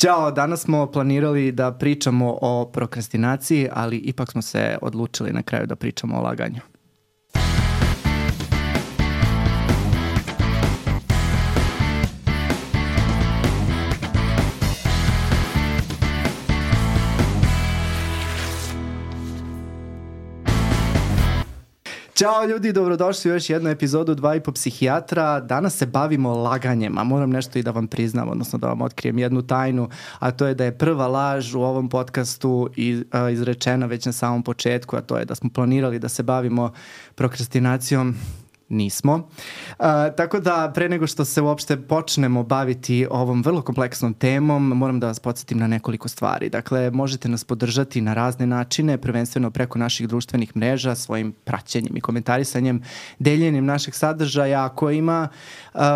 Ćao, danas smo planirali da pričamo o prokrastinaciji, ali ipak smo se odlučili na kraju da pričamo o laganju. Ćao ljudi, dobrodošli u još jednu epizodu 2,5 psihijatra. Danas se bavimo laganjem, a moram nešto i da vam priznam, odnosno da vam otkrijem jednu tajnu, a to je da je prva laž u ovom podcastu izrečena već na samom početku, a to je da smo planirali da se bavimo prokrastinacijom. Nismo. Tako da pre nego što se uopšte počnemo baviti ovom vrlo kompleksnom temom, moram da vas podsjetim na nekoliko stvari. Dakle, možete nas podržati na razne načine, prvenstveno preko naših društvenih mreža, svojim praćenjem i komentarisanjem, deljenjem našeg sadržaja. Ako ima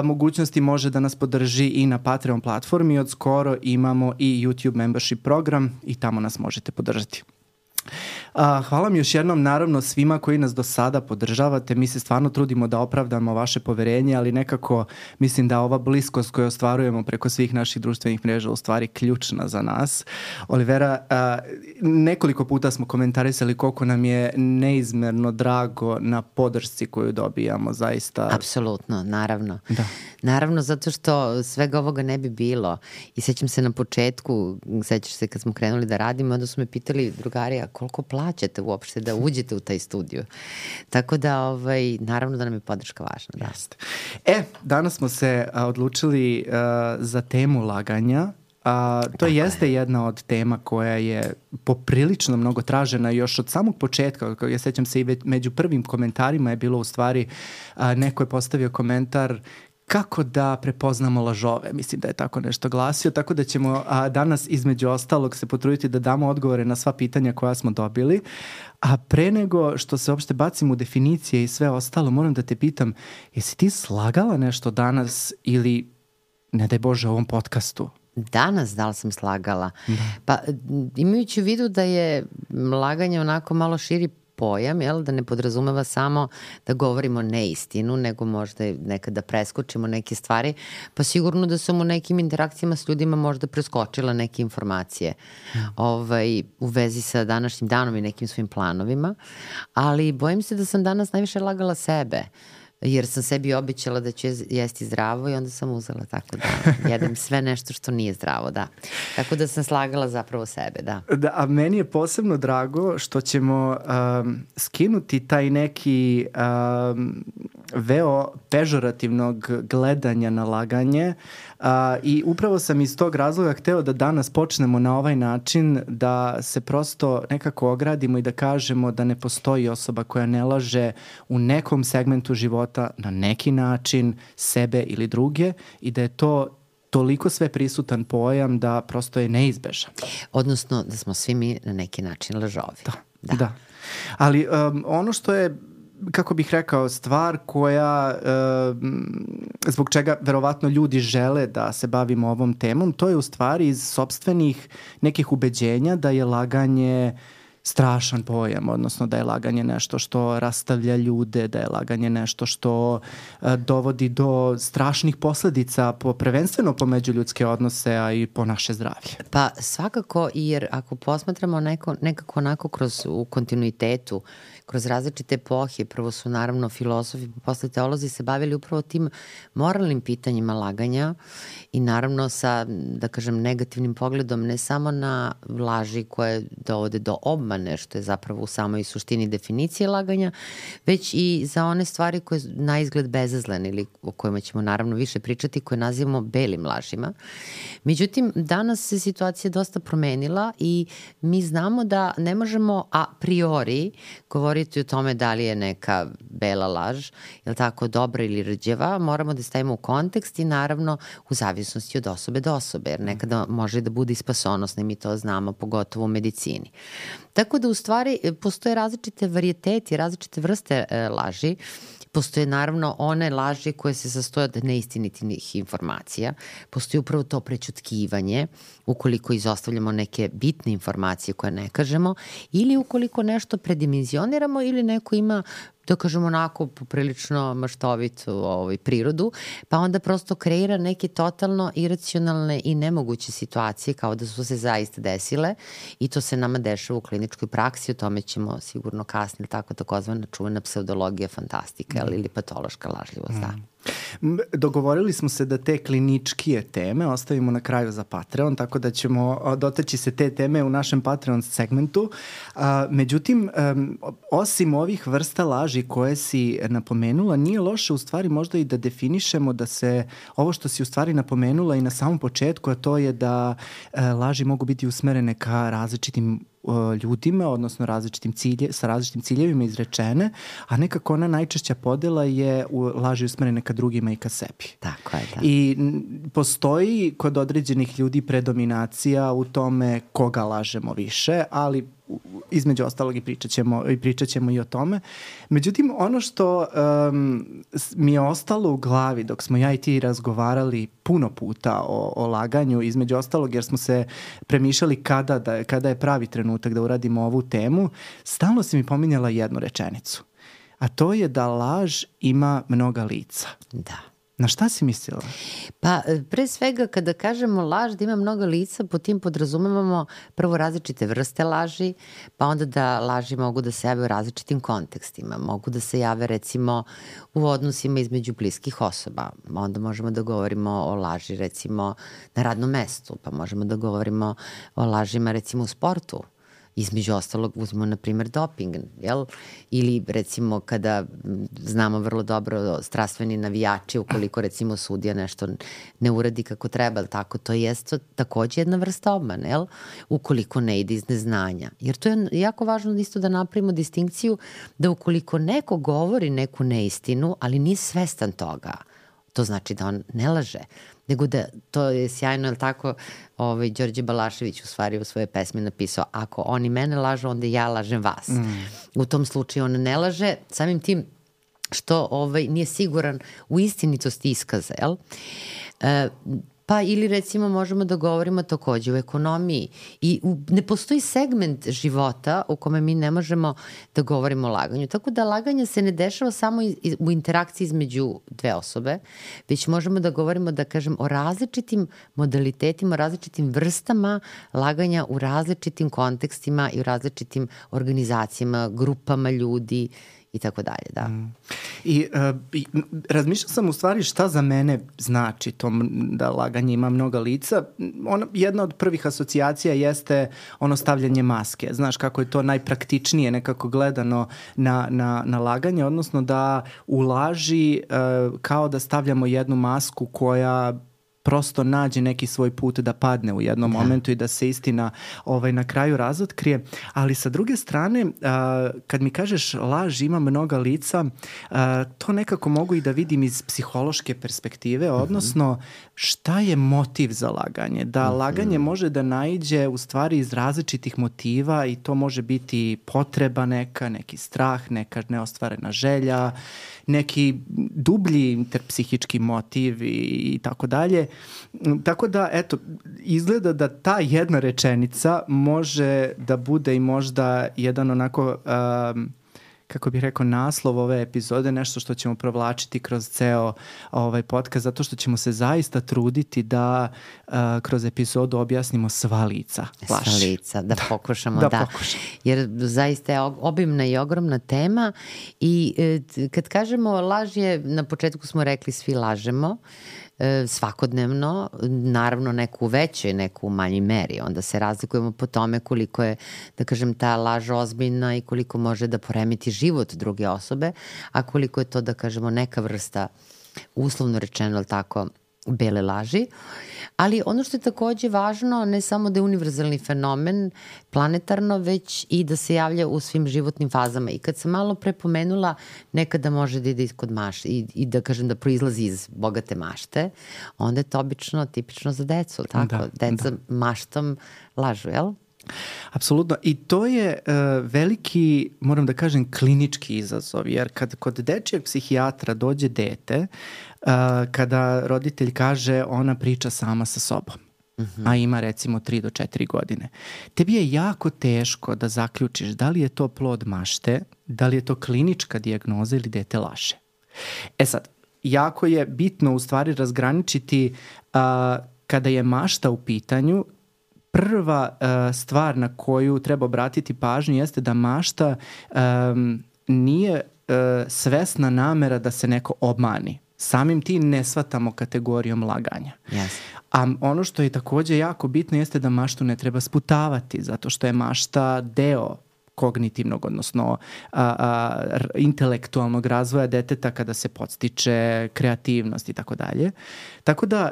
mogućnosti, može da nas podrži i na Patreon platformi. Od skoro imamo i YouTube membership program i tamo nas možete podržati. Hvala mi još jednom naravno svima koji nas do sada podržavate. Mi se stvarno trudimo da opravdamo vaše poverenje, ali nekako mislim da ova bliskost koju ostvarujemo preko svih naših društvenih mreža u stvari ključna za nas. Olivera, nekoliko puta smo komentarisali koliko nam je neizmerno drago na podršci koju dobijamo, zaista. Apsolutno, naravno. Da. Naravno, zato što svega ovoga ne bi bilo. I sećam se na početku, sećaš se kad smo krenuli da radimo, onda su me pitali drugari, a koliko plaćate uopšte da uđete u taj studio? Tako da, naravno da nam je podrška važna. Da. Jeste. Danas smo se odlučili za temu laganja. To jeste jedna od tema koja je poprilično mnogo tražena još od samog početka. Ja sećam se i među prvim komentarima je bilo u stvari, neko je postavio komentar kako da prepoznamo lažove, mislim da je tako nešto glasio, tako da ćemo danas između ostalog se potruditi da damo odgovore na sva pitanja koja smo dobili. A pre nego što se uopšte bacimo u definicije i sve ostalo, moram da te pitam, jesi ti slagala nešto danas ili, ne daj Bože, u ovom podcastu? Danas da li sam slagala? Da. Pa imajući u vidu da je laganje onako malo širi pojam, da ne podrazumeva samo da govorimo neistinu, nego možda nekada preskočimo neke stvari, pa sigurno da sam u nekim interakcijama s ljudima možda preskočila neke informacije u vezi sa današnjim danom i nekim svojim planovima, ali bojim se da sam danas najviše lagala sebe, jer sam sebi obećala da ću jesti zdravo i onda sam uzela tako da jedem sve nešto što nije zdravo, da. Tako da sam slagala zapravo sebe, da. Da, a meni je posebno drago što ćemo skinuti taj neki veo pežorativnog gledanja na laganje i upravo sam iz tog razloga hteo da danas počnemo na ovaj način, da se prosto nekako ogradimo i da kažemo da ne postoji osoba koja ne laže u nekom segmentu života na neki način sebe ili druge i da je to toliko sve prisutan pojam da prosto je neizbežan. Odnosno da smo svi mi na neki način lažovi. Da. Ali ono što je, kako bih rekao, stvar koja, zbog čega verovatno ljudi žele da se bavimo ovom temom, to je u stvari iz sopstvenih nekih ubeđenja da je laganje strašan pojam, odnosno da je laganje nešto što rastavlja ljude, da je laganje nešto što dovodi do strašnih posledica prvenstveno po međuljudske odnose, a i po naše zdravlje. Pa svakako, jer ako posmatramo nekako onako u kontinuitetu, kroz različite epohe, prvo su naravno filozofi, pa posle teolozi se bavili upravo tim moralnim pitanjima laganja i naravno sa, da kažem, negativnim pogledom ne samo na laži koje dovode do obmane, što je zapravo u samoj suštini definicije laganja, već i za one stvari koje na izgled bezazlene ili o kojima ćemo naravno više pričati, koje nazivamo belim lažima. Međutim, danas se situacija dosta promenila i mi znamo da ne možemo a priori govoriti o tome da li je neka bela laž, je li tako, dobra ili rđeva, moramo da stavimo u kontekst i naravno u zavisnosti od osobe do osobe, jer nekada može da bude i spasonosna i mi to znamo, pogotovo u medicini. Tako da u stvari postoje različite varijeteti, različite vrste laži. Postoje naravno one laži koje se sastoje od neistinitih informacija. Postoji upravo to prećutkivanje, ukoliko izostavljamo neke bitne informacije koje ne kažemo, ili ukoliko nešto predimenzioniramo ili neko ima da kažem onako poprilično maštovitu prirodu, pa onda prosto kreira neke totalno iracionalne i nemoguće situacije kao da su se zaista desile i to se nama dešava u kliničkoj praksi, o tome ćemo sigurno kasnije, tako takozvana čuvena pseudologija fantastika ili patološka lažljivost, da. Dogovorili smo se da te kliničkije teme ostavimo na kraju za Patreon, tako da ćemo dotaći se te teme u našem Patreon segmentu. Međutim, osim ovih vrsta laži koje si napomenula, nije loše u stvari možda i da definišemo da se ovo što si u stvari napomenula i na samom početku, a to je da laži mogu biti usmerene ka različitim ljudima, odnosno sa različitim ciljevima izrečene, a nekako ona najčešća podela je u laži usmerene ka drugima i ka sebi. Tako je, da. I postoji kod određenih ljudi predominacija u tome koga lažemo više, ali između ostalog i pričat ćemo i o tome. Međutim, ono što mi je ostalo u glavi dok smo ja i ti razgovarali puno puta o laganju, između ostalog jer smo se premišljali kada je pravi trenutak da uradimo ovu temu, stalno si mi pominjala jednu rečenicu. A to je da laž ima mnoga lica. Da. Na šta si mislila? Pa pre svega kada kažemo laž da ima mnogo lica, po tim podrazumevamo prvo različite vrste laži, pa onda da laži mogu da se jave u različitim kontekstima. Mogu da se jave recimo u odnosima između bliskih osoba. Onda možemo da govorimo o laži recimo na radnom mestu, pa možemo da govorimo o lažima recimo u sportu. Između ostalog uzmemo na primjer doping, jel? Ili recimo kada znamo vrlo dobro strastveni navijači, ukoliko recimo sudija nešto ne uradi kako treba, tako, to jeste takođe jedna vrsta obmana, jel? Ukoliko ne ide iz neznanja. Jer to je jako važno isto da napravimo distinkciju da ukoliko neko govori neku neistinu, ali nije svestan toga, to znači da on ne laže, nego da, to je sjajno, je li tako, Đorđe Balašević u stvari u svojoj pesmi napisao, ako oni mene lažu, onda ja lažem vas. U tom slučaju on ne laže, samim tim što nije siguran u istinitost iskaza, jel? Pa ili recimo možemo da govorimo takođe o ekonomiji i ne postoji segment života u kome mi ne možemo da govorimo o laganju. Tako da laganje se ne dešava samo u interakciji između dve osobe, već možemo da govorimo, da kažem, o različitim modalitetima, o različitim vrstama laganja u različitim kontekstima i u različitim organizacijama, grupama ljudi i tako dalje, da. I razmišljala sam u stvari šta za mene znači to da laganje ima mnoga lica. Jedna od prvih asocijacija jeste ono stavljanje maske. Znaš kako je to najpraktičnije nekako gledano na laganje, odnosno da u laži kao da stavljamo jednu masku koja prosto nađe neki svoj put da padne u jednom momentu i da se istina na kraju razotkrije. Ali sa druge strane, kad mi kažeš laž ima mnoga lica, to nekako mogu i da vidim iz psihološke perspektive, odnosno šta je motiv za laganje? Da laganje može da naiđe u stvari iz različitih motiva i to može biti potreba neka, neki strah, neka neostvarena želja, neki dublji interpsihički motiv i tako dalje. Tako da, eto, izgleda da ta jedna rečenica može da bude i možda jedan onako, kako bih rekao, naslov ove epizode, nešto što ćemo provlačiti kroz ceo podcast, zato što ćemo se zaista truditi da kroz epizodu objasnimo sva lica laži. Sva lica, da pokušamo, da. Jer zaista je obimna i ogromna tema i kad kažemo laž je, na početku smo rekli svi lažemo, svakodnevno, naravno neku u većoj, neku u manjoj meri. Onda se razlikujemo po tome koliko je, da kažem, ta laž ozbiljna i koliko može da poremeti život druge osobe, a koliko je to, da kažemo, neka vrsta, uslovno rečeno, ali tako, bele laži. Ali ono što je takođe važno, ne samo da je univerzalni fenomen planetarno, već i da se javlja u svim životnim fazama. I kad sam malo pre pomenula, nekada može da ide iskod mašte i da kažem da proizlazi iz bogate mašte, onda je to obično tipično za decu, tako? Deca maštom lažu, jel? Apsolutno. I to je veliki, moram da kažem, klinički izazov, jer kad kod dečijeg psihijatra dođe dete, kada roditelj kaže ona priča sama sa sobom. a ima recimo 3 do 4 godine. Tebi je jako teško da zaključiš da li je to plod mašte, da li je to klinička dijagnoza ili dete laže. E sad, jako je bitno u stvari razgraničiti kada je mašta u pitanju. Prva stvar na koju treba obratiti pažnju jeste da mašta nije svesna namera da se neko obmani. Samim tim ne shvatamo kategorijom laganja. Yes. A ono što je takođe jako bitno jeste da maštu ne treba sputavati, zato što je mašta deo kognitivnog, odnosno intelektualnog razvoja deteta kada se podstiče kreativnost i tako dalje. Tako da,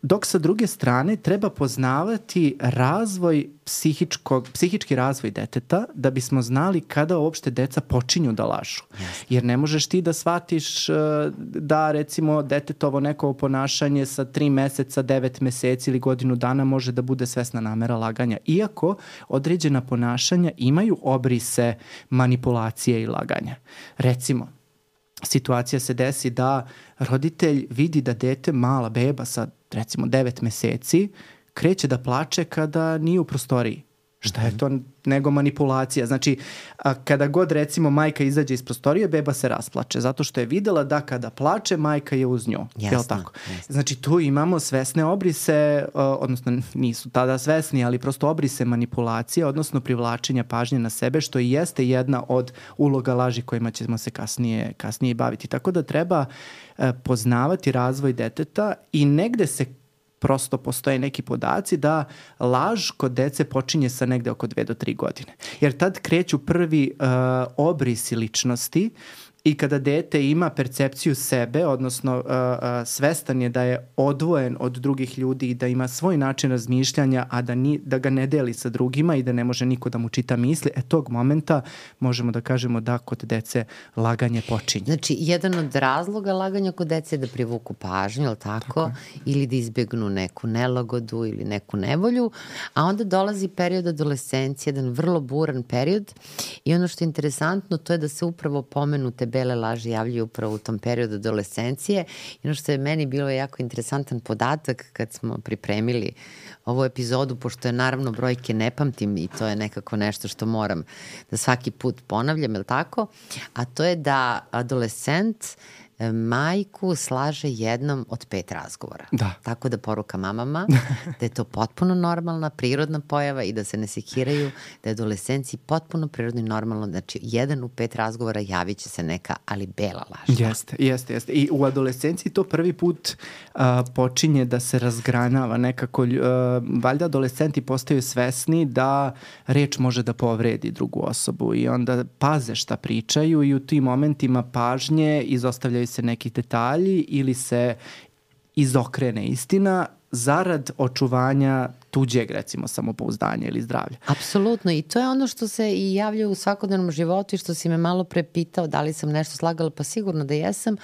dok sa druge strane treba poznavati razvoj psihički razvoj deteta da bismo znali kada uopšte deca počinju da lažu. Yes. Jer ne možeš ti da shvatiš da recimo detetovo neko ponašanje sa 3 meseca, 9 meseci ili godinu dana može da bude svesna namera laganja. Iako određena ponašanja imaju obrise manipulacije i laganja. Recimo, situacija se desi da roditelj vidi da dete, mala beba sa recimo 9 meseci, kreće da plače kada nije u prostoriji. Šta je to nego manipulacija? Znači, kada god recimo majka izađe iz prostorije, beba se rasplače, zato što je videla da kada plače, majka je uz nju. Jasno, jel tako? jasno. Znači, tu imamo svesne obrise, odnosno nisu tada svesni, ali prosto obrise manipulacije, odnosno privlačenja pažnje na sebe, što i jeste jedna od uloga laži kojima ćemo se kasnije baviti. Tako da treba poznavati razvoj deteta i negde se prosto postoje neki podaci da laž kod dece počinje sa negde oko 2 do 3 godine. Jer tad kreću prvi obrisi ličnosti i kada dete ima percepciju sebe, odnosno svestan je da je odvojen od drugih ljudi i da ima svoj način razmišljanja, a da ga ne deli sa drugima i da ne može niko da mu čita misli, tog momenta možemo da kažemo da kod dece laganje počinje. Znači, jedan od razloga laganja kod dece je da privuku pažnju, je li tako? Ili da izbjegnu neku nelagodu ili neku nevolju, a onda dolazi period adolescencije, jedan vrlo buran period i ono što je interesantno to je da se upravo pomenute bele laži javljaju upravo u tom periodu adolescencije. I ono što je meni bilo jako interesantan podatak kad smo pripremili ovu epizodu, pošto je naravno brojke ne pamtim i to je nekako nešto što moram da svaki put ponavljam, je li tako? A to je da adolescent majku slaže jednom od 5 razgovora. Da. Tako da poruka mamama da je to potpuno normalna, prirodna pojava i da se ne sekiraju, da je adolescenciji potpuno prirodno i normalno. Znači, 1 u 5 razgovora javit će se neka, ali bela laž. Jeste. I u adolescenciji to prvi put počinje da se razgranava nekako. Valjda adolescenti postaju svesni da reč može da povredi drugu osobu i onda paze šta pričaju i u tim momentima pažnje izostavljaju se neki detalji ili se izokrene istina zarad očuvanja tuđeg, recimo, samopouzdanja ili zdravlja. Apsolutno, i to je ono što se i javlja u svakodnevnom životu i što si me malo pre pitao da li sam nešto slagala, pa sigurno da jesam,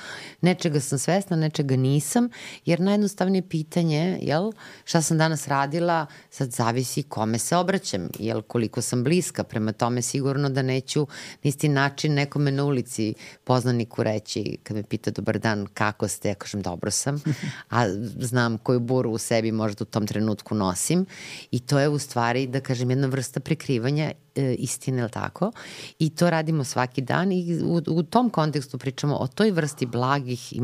nečega sam svesna, nečega nisam, jer najjednostavnije pitanje, jel, šta sam danas radila, sad zavisi kome se obraćam, jel, koliko sam bliska, prema tome sigurno da neću na isti način nekome na ulici poznaniku reći, kad me pita dobar dan, kako ste, ja kažem dobro sam, a znam koju buru u sebi možda u tom trenutku nosim. I to je u stvari, da kažem, jedna vrsta prikrivanja istine, ili tako? I to radimo svaki dan i u tom kontekstu pričamo o toj vrsti blagih i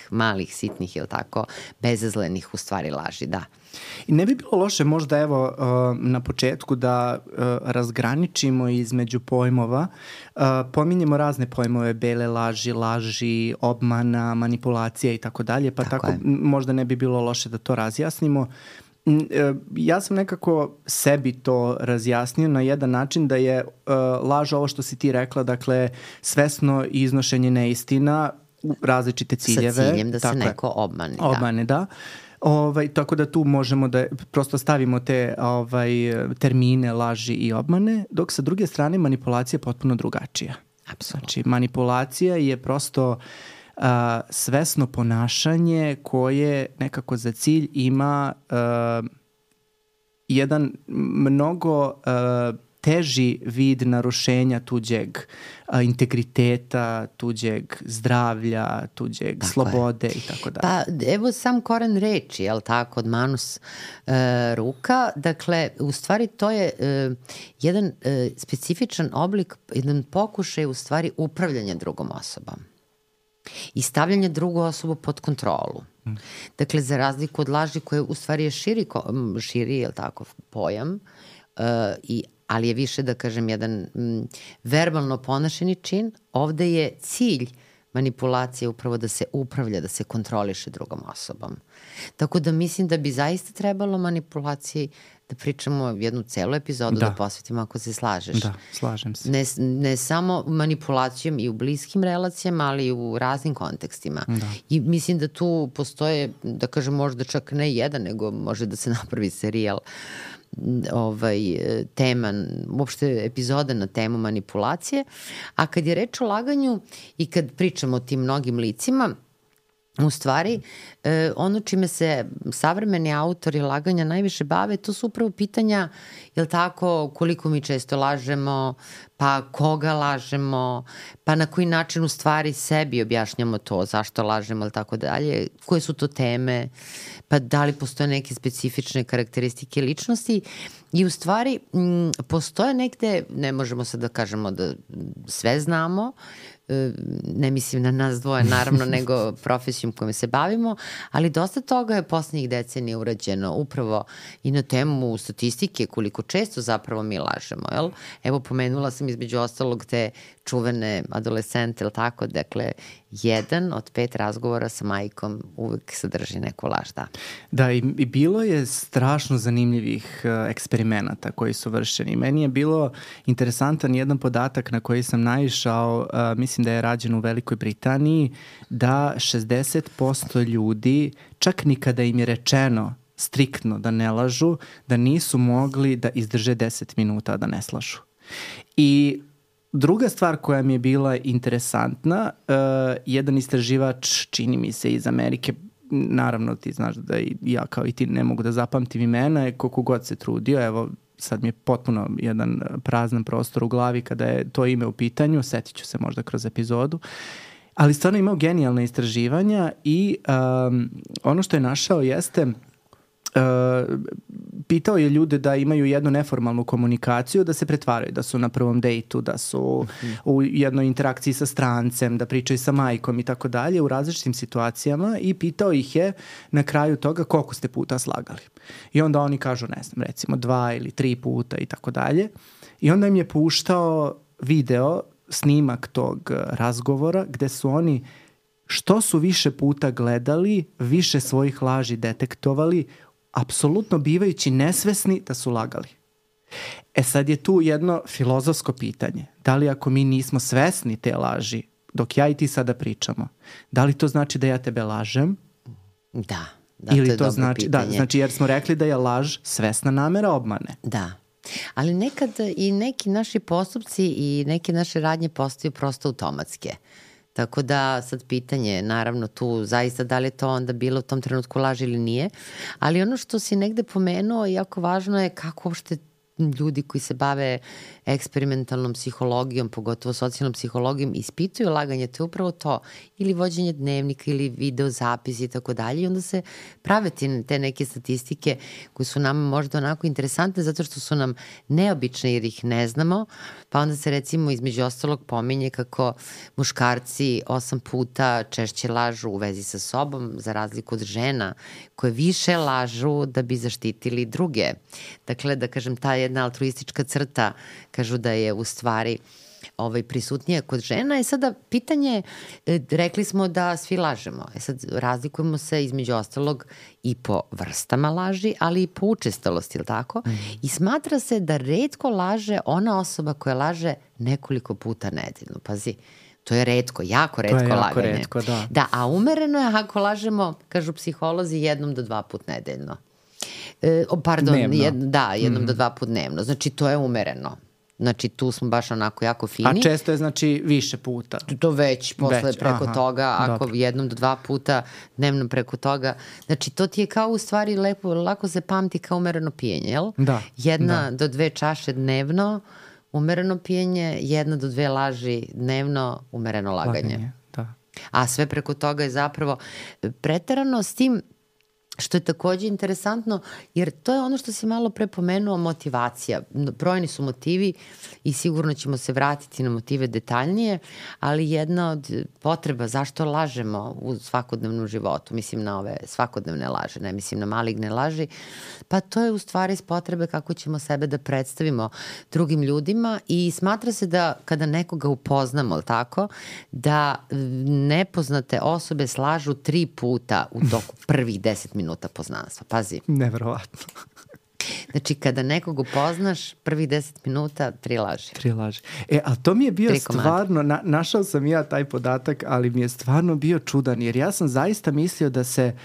malih, sitnih, ili tako, bezazlenih u stvari laži, da. I ne bi bilo loše možda evo na početku da razgraničimo između pojmova. Pominjemo razne pojmove, bele laži, obmana, manipulacija i tako dalje, pa tako možda ne bi bilo loše da to razjasnimo. Ja sam nekako sebi to razjasnio na jedan način da je laž ovo što si ti rekla, dakle svesno iznošenje neistina u različite ciljeve. Sa ciljem da se neko obmane. Obmane, da. Tako da tu možemo da prosto stavimo te termine laži i obmane, dok sa druge strane manipulacija je potpuno drugačija. Apsolutno. Znači manipulacija je prosto svesno ponašanje koje nekako za cilj ima jedan mnogo teži vid narušenja tuđeg integriteta, tuđeg zdravlja, tuđeg slobode i tako dalje. Pa evo sam koren reči, jel tako, od manus ruka. Dakle, u stvari to je jedan specifičan oblik, jedan pokušaj u stvari upravljanja drugom osobom i stavljanja drugu osobu pod kontrolu. Dakle, za razliku od laži koje u stvari je širi je li tako, pojam, ali je više, da kažem, jedan verbalno ponašeni čin, ovde je cilj manipulacije upravo da se upravlja, da se kontroliše drugom osobom. Tako da mislim da bi zaista trebalo manipulaciji da pričamo jednu celu epizodu, da posvetimo ako se slažeš. Da, slažem se. Ne samo manipulacijom i u bliskim relacijama, ali i u raznim kontekstima. Da. I mislim da tu postoje, da kažem, možda čak ne jedan, nego može da se napravi serijal tema, uopšte epizoda na temu manipulacije. A kad je reč o laganju i kad pričamo o tim mnogim licima, u stvari, ono čime se savremeni autori laganja najviše bave, to su upravo pitanja, jel tako, koliko mi često lažemo, pa koga lažemo, pa na koji način u stvari sebi objašnjamo to, zašto lažemo, ili tako dalje, koje su to teme, pa da li postoje neke specifične karakteristike ličnosti i u stvari postoje negde, ne možemo sad da kažemo da sve znamo, ne mislim na nas dvoje naravno, nego profesijom kojom se bavimo, ali dosta toga je poslednjih decenija urađeno upravo i na temu statistike, koliko često zapravo mi lažemo, jel? Evo, pomenula sam između ostalog te čuvene adolescente, ili tako, dakle, 1 od 5 razgovora sa majkom uvek sadrži neku laž, da. Da, i bilo je strašno zanimljivih eksperimenata koji su vršeni. Meni je bilo interesantan jedan podatak na koji sam naišao, mislim da je rađen u Velikoj Britaniji, da 60% ljudi, čak ni kada im je rečeno striktno da ne lažu, da nisu mogli da izdrže 10 minuta da ne slažu. I druga stvar koja mi je bila interesantna, jedan istraživač, čini mi se iz Amerike, naravno ti znaš da ja kao i ti ne mogu da zapamtim imena, je koliko god se trudio, evo sad mi je potpuno jedan prazan prostor u glavi kada je to ime u pitanju, setit ću se možda kroz epizodu, ali stvarno imao genijalne istraživanja i ono što je našao jeste pitao je ljude da imaju jednu neformalnu komunikaciju, da se pretvaraju, da su na prvom dejtu, da su u jednoj interakciji sa strancem, da pričaju sa majkom i tako dalje u različitim situacijama i pitao ih je na kraju toga koliko ste puta slagali. I onda oni kažu, ne znam, recimo 2 ili 3 puta i tako dalje. I onda im je puštao video, snimak tog razgovora gde su oni što su više puta gledali, više svojih laži detektovali, apsolutno bivajući nesvesni da su lagali. E sad je tu jedno filozofsko pitanje. Da li ako mi nismo svesni te laži, dok ja i ti sada pričamo, da li to znači da ja tebe lažem? Da, ili to znači, pitanje. Da, znači jer smo rekli da je laž svesna namera obmane. Da. Ali nekad i neki naši postupci i neke naše radnje postaju prosto automatske. Tako da sad pitanje, naravno tu zaista da li je to onda bilo u tom trenutku laž ili nije, ali ono što si negde pomenuo jako važno je kako uopšte ljudi koji se bave eksperimentalnom psihologijom, pogotovo socijalnom psihologijom, ispituju laganje, to je upravo to, ili vođenje dnevnika ili video zapisi i tako dalje, i onda se prave te neke statistike koje su nam možda onako interesantne zato što su nam neobične jer ih ne znamo, pa onda se recimo između ostalog pominje kako muškarci 8 puta češće lažu u vezi sa sobom za razliku od žena koje više lažu da bi zaštitili druge. Dakle, da kažem, ta jedna altruistička crta kažu da je u stvari prisutnija kod žena. Sada pitanje, rekli smo da svi lažemo. Sad razlikujemo se između ostalog i po vrstama laži, ali i po učestalosti, ili tako? I smatra se da retko laže ona osoba koja laže nekoliko puta nedeljno. Pazi, to je retko, jako retko laganje. To je jako retko, da. Da, a umereno je ako lažemo, kažu psiholozi, 1 do 2 put nedeljno. Pardon, jednom do 2 put dnevno. Znači, to je umereno. Znači tu smo baš onako jako fini. A često je znači više puta. To već, posle preko toga, ako dobro. 1 do 2 puta dnevno preko toga. Znači to ti je kao u stvari lako se pamti kao umereno pijenje, jel? Da. 1 do 2 čaše dnevno, umereno pijenje, 1 do 2 laži dnevno, umereno laganje. Da. A sve preko toga je zapravo preterano s tim što je takođe interesantno, jer to je ono što si malo pre pomenuo, motivacija. Brojni su motivi i sigurno ćemo se vratiti na motive detaljnije, ali jedna od potreba zašto lažemo u svakodnevnom životu, mislim na ove svakodnevne laže, ne mislim na maligne laži, pa to je u stvari iz potrebe kako ćemo sebe da predstavimo drugim ljudima i smatra se da kada nekoga upoznamo, tako, da nepoznate osobe slažu 3 puta u toku prvih 10 minuta poznanstva. Pazi. Neverovatno. Znači, kada nekog upoznaš, prvih 10 minuta, 3 laži. 3 laži. A to mi je bio stvarno, našao sam ja taj podatak, ali mi je stvarno bio čudan, jer ja sam zaista mislio da se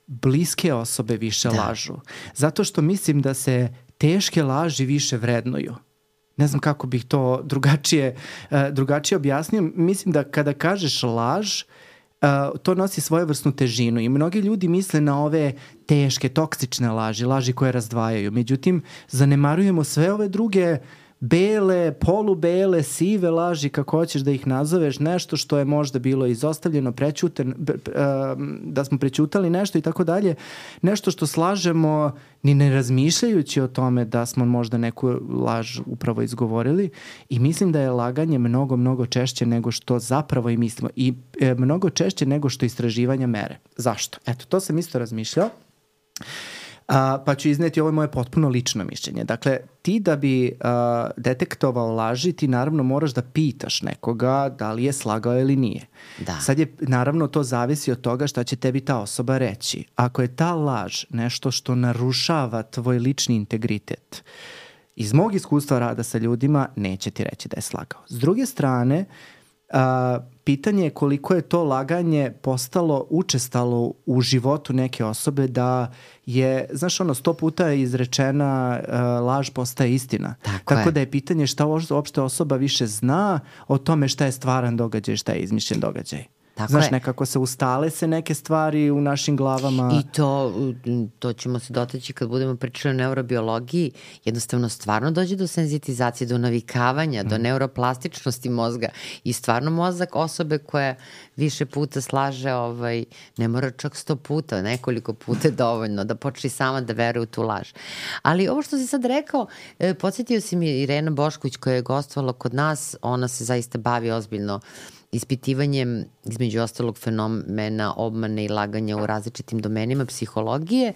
bliske osobe više lažu. Zato što mislim da se teške laži više vrednuju. Ne znam kako bih to drugačije objasnio. Mislim da kada kažeš laž, to nosi svojevrsnu težinu i mnogi ljudi misle na ove teške, toksične laži koje razdvajaju. Međutim, zanemarujemo sve ove druge bele, polubele, sive laži, kako hoćeš da ih nazoveš, nešto što je možda bilo izostavljeno, da smo prećutali nešto i tako dalje, nešto što slažemo ni ne razmišljajući o tome da smo možda neku laž upravo izgovorili i mislim da je laganje mnogo, mnogo češće nego što zapravo i mislimo i mnogo češće nego što istraživanja mere. Zašto? Eto, to sam isto razmišljao. Pa ću izneti ovo moje potpuno lično mišljenje. Dakle, ti da bi detektovao laži, ti naravno moraš da pitaš nekoga da li je slagao ili nije. Da. Sad je, naravno, to zavisi od toga šta će tebi ta osoba reći. Ako je ta laž nešto što narušava tvoj lični integritet, iz mog iskustva rada sa ljudima, neće ti reći da je slagao. S druge strane, pitanje je koliko je to laganje postalo učestalo u životu neke osobe da je, znaš 100 puta izrečena laž postaje istina. Tako da je pitanje šta uopšte osoba više zna o tome šta je stvaran događaj, šta je izmišljen događaj. Znaš, nekako se ustale se neke stvari u našim glavama. I to ćemo se dotaći kad budemo pričali o neurobiologiji. Jednostavno stvarno dođe do senzitizacije, do navikavanja, do neuroplastičnosti mozga. I stvarno mozak osobe koja više puta slaže, ne mora čak 100 puta, nekoliko puta je dovoljno da počne sama da veruje u tu laž. Ali ovo što si sad rekao, podsjetio si mi Irena Bošković koja je gostovala kod nas, ona se zaista bavi ozbiljno ispitivanjem, između ostalog, fenomena obmane i laganja u različitim domenima psihologije,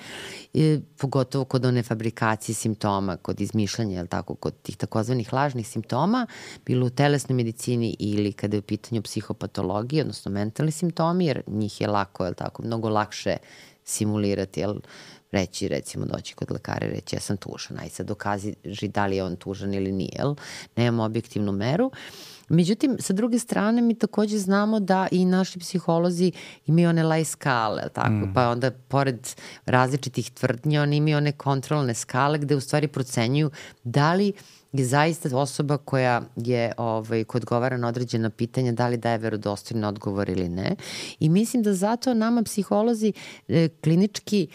pogotovo kod one fabrikacije simptoma, kod izmišljanja, jel tako, kod tih takozvanih lažnih simptoma, bilo u telesnoj medicini ili kada je u pitanju psihopatologije, odnosno mentalni simptomi, jer njih je lako, jel tako, mnogo lakše simulirati, jel, reći, recimo, doći kod lekara i reći ja sam tužan, aj sad dokaži da li je on tužan ili nije, jel, nemamo objektivnu meru. Međutim, sa druge strane, mi takođe znamo da i naši psiholozi imaju one laj skale, tako? Pa onda, pored različitih tvrdnja, oni imaju one kontrolne skale gde u stvari procenjuju da li je zaista osoba koja je, koja odgovara na određena pitanja, da li daje verodostojne odgovor ili ne. I mislim da zato nama psiholozi klinički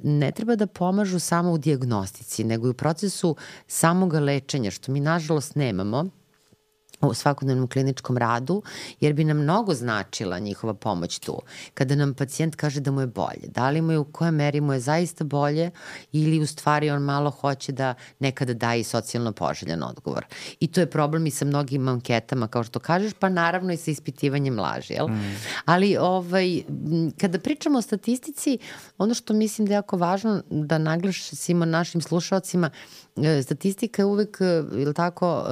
ne treba da pomažu samo u dijagnostici, nego i u procesu samog lečenja, što mi nažalost nemamo u svakodnevnom kliničkom radu, jer bi nam mnogo značila njihova pomoć tu. Kada nam pacijent kaže da mu je bolje, da li mu je, u kojoj meri mu je zaista bolje ili u stvari on malo hoće da nekada daje socijalno poželjan odgovor. I to je problem i sa mnogim anketama, kao što kažeš, pa naravno i sa ispitivanjem laži. Jel? Ali kada pričamo o statistici, ono što mislim da je jako važno da naglašimo svima našim slušalcima, statistika je uvek, ili tako,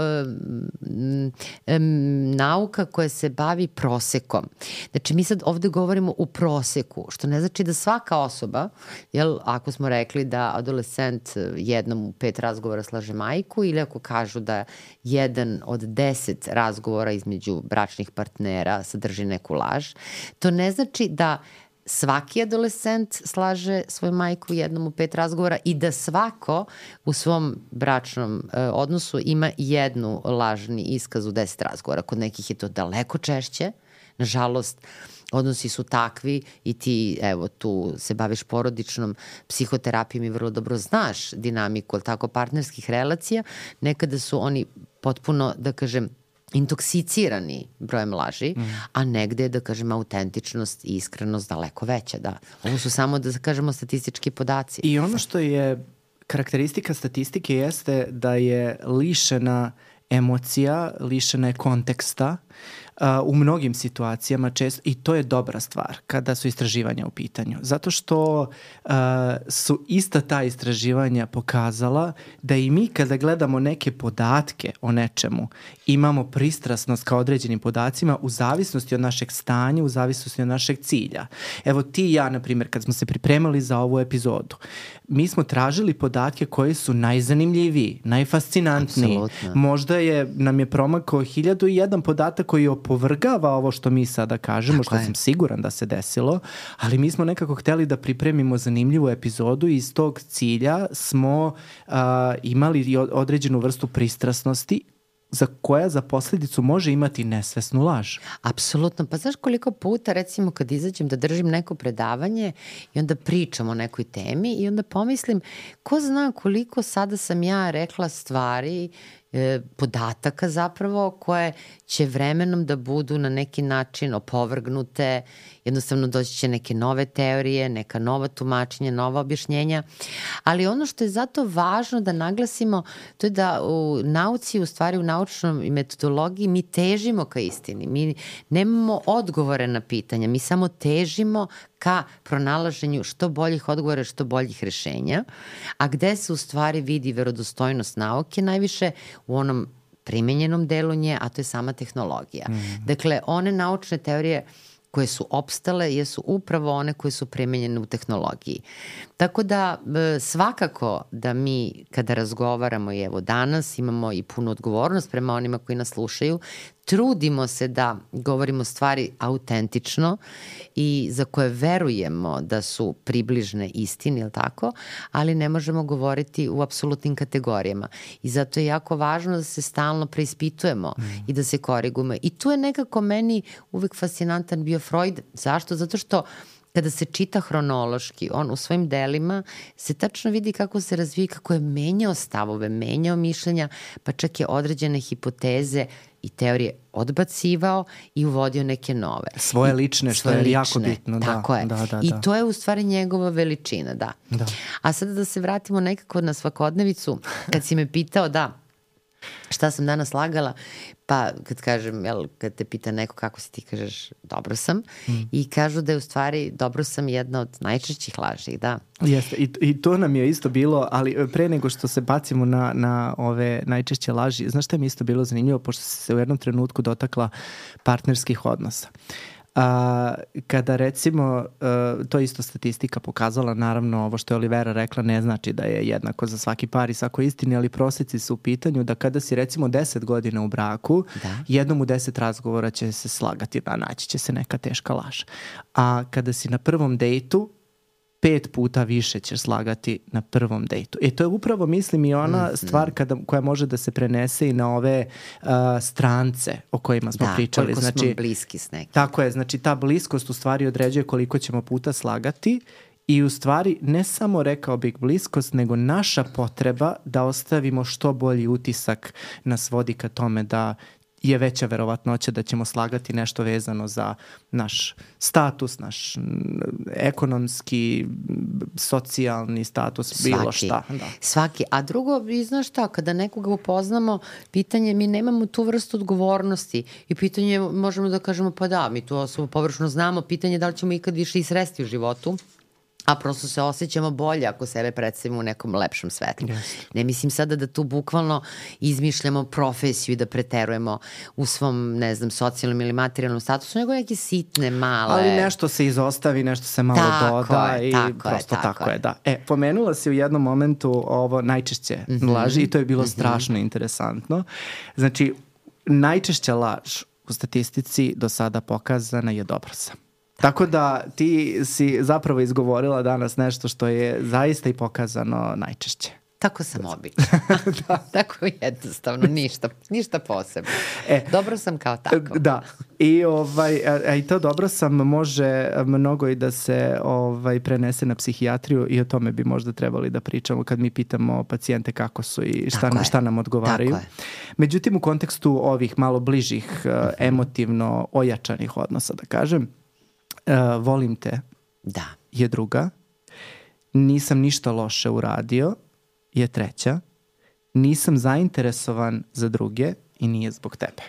nauka koja se bavi prosekom. Znači, mi sad ovde govorimo u proseku, što ne znači da svaka osoba, jel, ako smo rekli da adolescent jednom u 5 razgovora slaže majku ili ako kažu da 1 od 10 razgovora između bračnih partnera sadrži neku laž, to ne znači da svaki adolescent slaže svoju majku jednom u 5 razgovora i da svako u svom bračnom odnosu ima jednu lažni iskaz u 10 razgovora. Kod nekih je to daleko češće. Nažalost, odnosi su takvi i ti, evo, tu se baviš porodičnom psihoterapijom i vrlo dobro znaš dinamiku, tako, partnerskih relacija. Nekada su oni potpuno, da kažem, intoksicirani brojem laži, a negde je, da kažem, autentičnost i iskrenost daleko veća, da. Ovo su samo, da kažemo, statistički podaci. I ono što je karakteristika statistike jeste da je lišena emocija, lišena je konteksta u mnogim situacijama često, i to je dobra stvar kada su istraživanja u pitanju. Zato što su ista ta istraživanja pokazala da i mi kada gledamo neke podatke o nečemu imamo pristrasnost ka određenim podacima u zavisnosti od našeg stanja, u zavisnosti od našeg cilja. Evo ti i ja, na primjer, kad smo se pripremali za ovu epizodu, mi smo tražili podatke koji su najzanimljiviji, najfascinantniji. Apsolutno. Možda nam je promakao 1001 podatak koji opovrgava ovo što mi sada kažemo, što sam siguran da se desilo, ali mi smo nekako hteli da pripremimo zanimljivu epizodu i iz tog cilja smo imali određenu vrstu pristrasnosti koja za posljedicu može imati nesvesnu laž. Apsolutno. Pa znaš koliko puta, recimo, kad izađem da držim neko predavanje i onda pričam o nekoj temi i onda pomislim, ko zna koliko sada sam ja rekla stvari, podataka zapravo, koje će vremenom da budu na neki način opovrgnute, jednostavno doći će neke nove teorije, neka nova tumačenja, nova objašnjenja, ali ono što je zato važno da naglasimo, to je da u nauci, u stvari u naučnoj metodologiji, mi težimo ka istini, mi nemamo odgovore na pitanja, mi samo težimo ka pronalaženju što boljih odgovora, što boljih rešenja, a gde se u stvari vidi verodostojnost nauke najviše u onom primenjenom delu nje, a to je sama tehnologija. Dakle, one naučne teorije koje su opstale jesu upravo one koje su primenjene u tehnologiji. Tako da svakako da mi kada razgovaramo i evo danas imamo i punu odgovornost prema onima koji nas slušaju, trudimo se da govorimo stvari autentično i za koje verujemo da su približne istini, ili tako, ali ne možemo govoriti u apsolutnim kategorijama. I zato je jako važno da se stalno preispitujemo i da se korigujemo. I tu je nekako meni uvek fascinantan bio Freud. Zašto? Zato što kada se čita hronološki, on u svojim delima se tačno vidi kako se razvija, kako je menjao stavove, menjao mišljenja, pa čak je određene hipoteze i teorije odbacivao i uvodio neke nove. Svoje lične, što je jako bitno. Tako je. I to je u stvari njegova veličina, da. A sada da se vratimo nekako na svakodnevicu, kad si me pitao, šta sam danas lagala, pa kad kažem, kad te pita neko kako si, ti kažeš dobro sam, i kažu da je u stvari dobro sam jedna od najčešćih laži, da. Jeste, i to nam je isto bilo, ali pre nego što se bacimo na ove najčešće laži, znaš šta mi je isto bilo zanimljivo, pošto se u jednom trenutku dotakla partnerskih odnosa. Kada recimo, to isto statistika pokazala, naravno ovo što je Olivera rekla ne znači da je jednako za svaki par i svako istini, ali prosjeci su u pitanju da kada si recimo 10 godina u braku, jednom u 10 razgovora će se slagati, naći će se neka teška laž. A kada si na prvom dejtu, 5 puta više ćeš slagati na prvom dejtu. To je upravo, mislim, i ona stvar koja može da se prenese i na ove strance o kojima smo pričali. Koliko smo bliski s nekim. Tako je, znači ta bliskost u stvari određuje koliko ćemo puta slagati i u stvari ne samo, rekao bih, bliskost, nego naša potreba da ostavimo što bolji utisak nas vodi ka tome da je veća verovatnoća da ćemo slagati nešto vezano za naš status, naš ekonomski, socijalni status, bilo šta. Svaki. A drugo, znaš šta, kada nekoga upoznamo, pitanje, mi nemamo tu vrstu odgovornosti i pitanje, možemo da kažemo, pa da, mi tu osobu površno znamo, pitanje da li ćemo ikad više i sresti u životu, a prosto se osjećamo bolje ako sebe predstavimo u nekom lepšem svetlu. Ne mislim sada da tu bukvalno izmišljamo profesiju i da preterujemo u svom, ne znam, socijalnom ili materijalnom statusu, nego neke sitne, male... Ali nešto se izostavi, nešto se malo doda i prosto tako je. Pomenula si u jednom momentu ovo najčešće laži i to je bilo strašno interesantno. Znači, najčešća laž u statistici do sada pokazana je dobro sam. Tako da ti si zapravo izgovorila danas nešto što je zaista i pokazano najčešće. Tako sam obična. Tako jednostavno, ništa posebno. Dobro sam kao tako. Da. I, i to dobro sam može mnogo i da se prenese na psihijatriju i o tome bi možda trebali da pričamo kad mi pitamo pacijente kako su i šta nam odgovaraju. Međutim, u kontekstu ovih malo bližih, emotivno ojačanih odnosa, da kažem, volim te je druga, nisam ništa loše uradio je treća, nisam zainteresovan za druge i nije zbog tebe.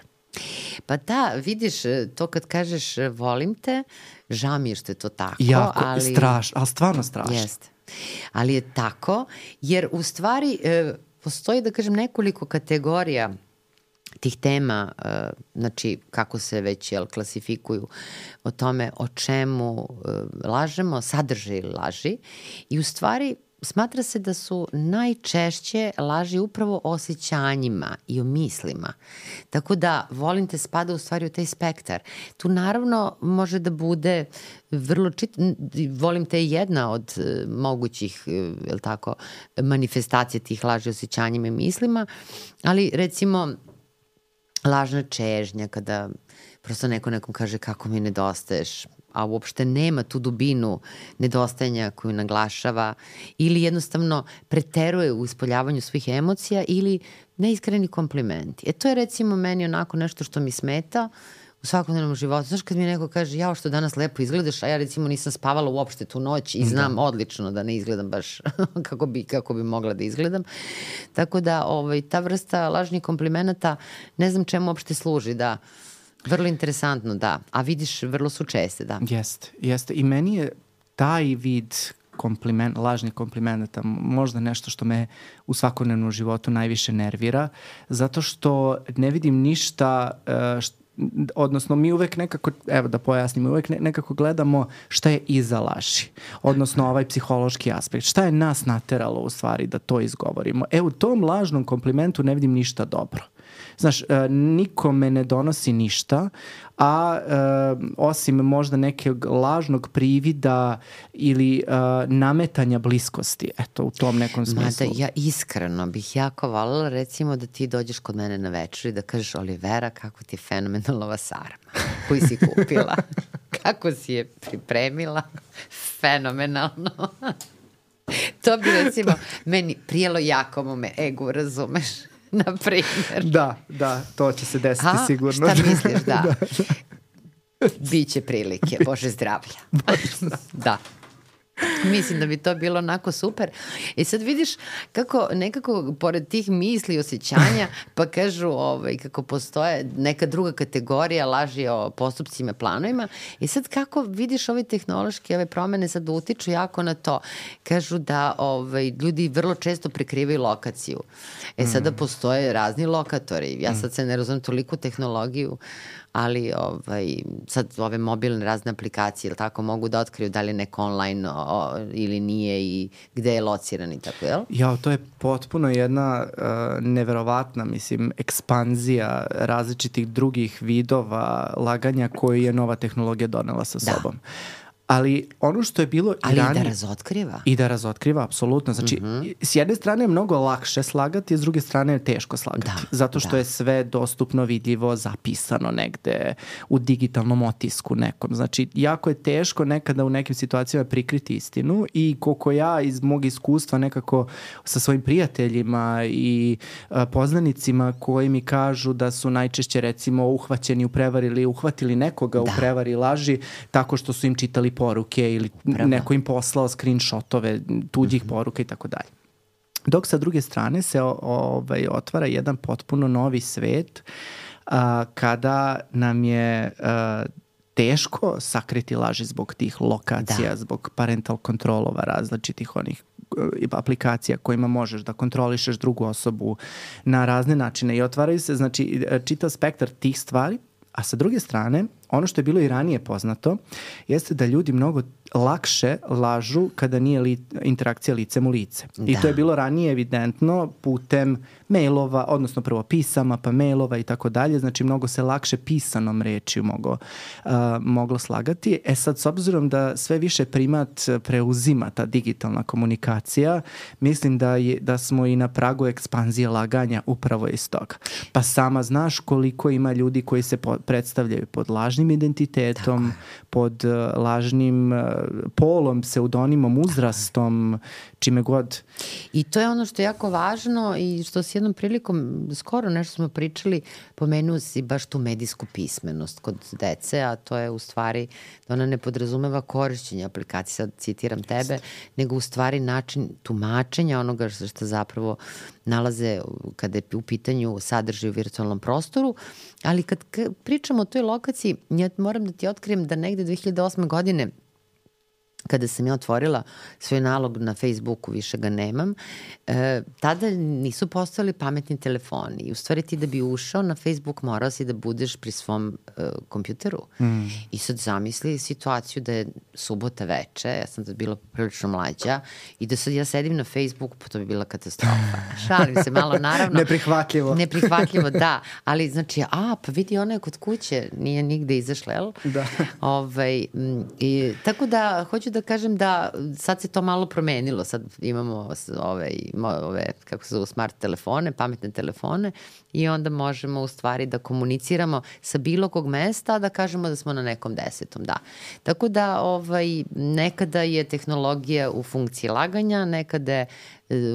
Pa da, vidiš, to kad kažeš volim te, žao mi je što je to tako. Jako, strašno, ali stvarno strašno. Jeste. Ali je tako, jer u stvari postoji, da kažem, nekoliko kategorija tih tema, znači kako se već klasifikuju o tome o čemu lažemo, sadržaj laži i u stvari smatra se da su najčešće laži upravo o osjećanjima i o mislima. Tako da volim te spada u stvari u taj spektar. Tu naravno može da bude vrlo volim te je jedna od mogućih manifestacija tih laži o osjećanjima i mislima, ali recimo lažna čežnja kada prosto neko nekom kaže kako mi nedostaješ, a uopšte nema tu dubinu nedostajanja koju naglašava ili jednostavno preteruje u ispoljavanju svih emocija ili neiskreni komplimenti. To je recimo meni onako nešto što mi smeta u svakodnevnom životu. Znaš kad mi neko kaže jao što danas lepo izgledaš, a ja recimo nisam spavala uopšte tu noć i znam odlično da ne izgledam baš kako bi mogla da izgledam. Tako da ta vrsta lažnih komplimenata ne znam čemu uopšte služi, da. Vrlo interesantno, da. A vidiš, vrlo su česte, da. Jeste. I meni je taj vid lažnih komplimenata možda nešto što me u svakodnevnom životu najviše nervira, zato što ne vidim ništa, odnosno mi uvek nekako, evo da pojasnim, uvek nekako gledamo šta je iza laži, odnosno ovaj psihološki aspekt, šta je nas nateralo u stvari da to izgovorimo. U tom lažnom komplimentu ne vidim ništa dobro. Znaš, nikome ne donosi ništa, a osim možda nekog lažnog privida ili nametanja bliskosti, u tom nekom smislu. Mada ja iskreno bih jako voljela recimo da ti dođeš kod mene na večer i da kažeš Olivera kako ti je fenomenalna ova sarma koju si kupila, kako si je pripremila, fenomenalno. To bi recimo meni prijelo jako mome egu, razumeš? Na primjer. Da, to će se desiti sigurno. Šta misliš, da. Biće prilike, Bože zdravlja. Da. Mislim da bi to bilo onako super. I sad vidiš kako nekako pored tih misli i osjećanja pa kažu kako postoje neka druga kategorija laži o postupcima, planovima. I sad kako vidiš ove tehnološke promene sad utiču jako na to. Kažu da ljudi vrlo često prekrivaju lokaciju. Sada postoje razni lokatori. Ja sad se ne razumem toliko tehnologiju, ali sad ove mobilne razne aplikacije, tako mogu da otkriju da li je neko online ili nije i gde je lociran i tako, jel? Ja, to je potpuno jedna neverovatna, ekspanzija različitih drugih vidova laganja koju je nova tehnologija donela sa sobom. Ali ono što je bilo i ranije... da razotkriva. I da razotkriva, apsolutno. Znači, s jedne strane je mnogo lakše slagati, a s druge strane je teško slagati. Zato što je sve dostupno, vidljivo, zapisano negde u digitalnom otisku nekom. Znači, jako je teško nekada u nekim situacijama prikriti istinu i koliko ja iz mog iskustva nekako sa svojim prijateljima i poznanicima koji mi kažu da su najčešće recimo uhvaćeni u prevari ili uhvatili nekoga u prevari laži tako što su im čitali poruke ili neko im poslao screenshotove tuđih poruka i tako dalje. Dok sa druge strane se otvara jedan potpuno novi svet kada nam je teško sakriti laži zbog tih lokacija, zbog parental kontrolova, različitih onih aplikacija kojima možeš da kontrolišeš drugu osobu na razne načine i otvaraju se, znači, čitav spektar tih stvari. A sa druge strane, ono što je bilo i ranije poznato jeste da ljudi mnogo lakše lažu kada nije interakcija licem u lice. I to je bilo ranije evidentno putem mailova, odnosno prvo pisama, pa mailova i tako dalje. Znači mnogo se lakše pisanom rečju moglo slagati. Sad, s obzirom da sve više primat preuzima ta digitalna komunikacija, mislim da smo i na pragu ekspanzije laganja upravo iz toga. Pa sama znaš koliko ima ljudi koji se predstavljaju pod lažnim identitetom, pod lažnim polom, pseudonimom, uzrastom, čime god. I to je ono što je jako važno i što s jednom prilikom, skoro nešto smo pričali, pomenuo si baš tu medijsku pismenost kod dece, a to je u stvari da ona ne podrazumeva korišćenje aplikacije, sad citiram tebe, nego u stvari način tumačenja onoga što zapravo nalaze kada je u pitanju sadržaj u virtualnom prostoru, ali kad pričamo o toj lokaciji, ja moram da ti otkrijem da negde 2008. godine kada sam ja otvorila svoj nalog na Facebooku, više ga nemam, tada nisu postojali pametni telefoni. I u stvari ti da bi ušao na Facebook morao si da budeš pri svom kompjuteru. I sad zamisli situaciju da je subota veče, ja sam tad bila prilično mlađa, i da sad ja sedim na Facebooku, pa to bi bila katastrofa. Šalim se malo, naravno. Neprihvatljivo. Neprihvatljivo, da. Ali znači, pa vidi, ona je kod kuće, nije nigde izašla, jel? Da. Tako da, hoću da kažem da sad se to malo promenilo. Sad imamo ove kako se zove, smart telefone, pametne telefone i onda možemo u stvari da komuniciramo sa bilo kog mesta, da kažemo da smo na nekom 10. Da. Tako da nekada je tehnologija u funkciji laganja, nekada je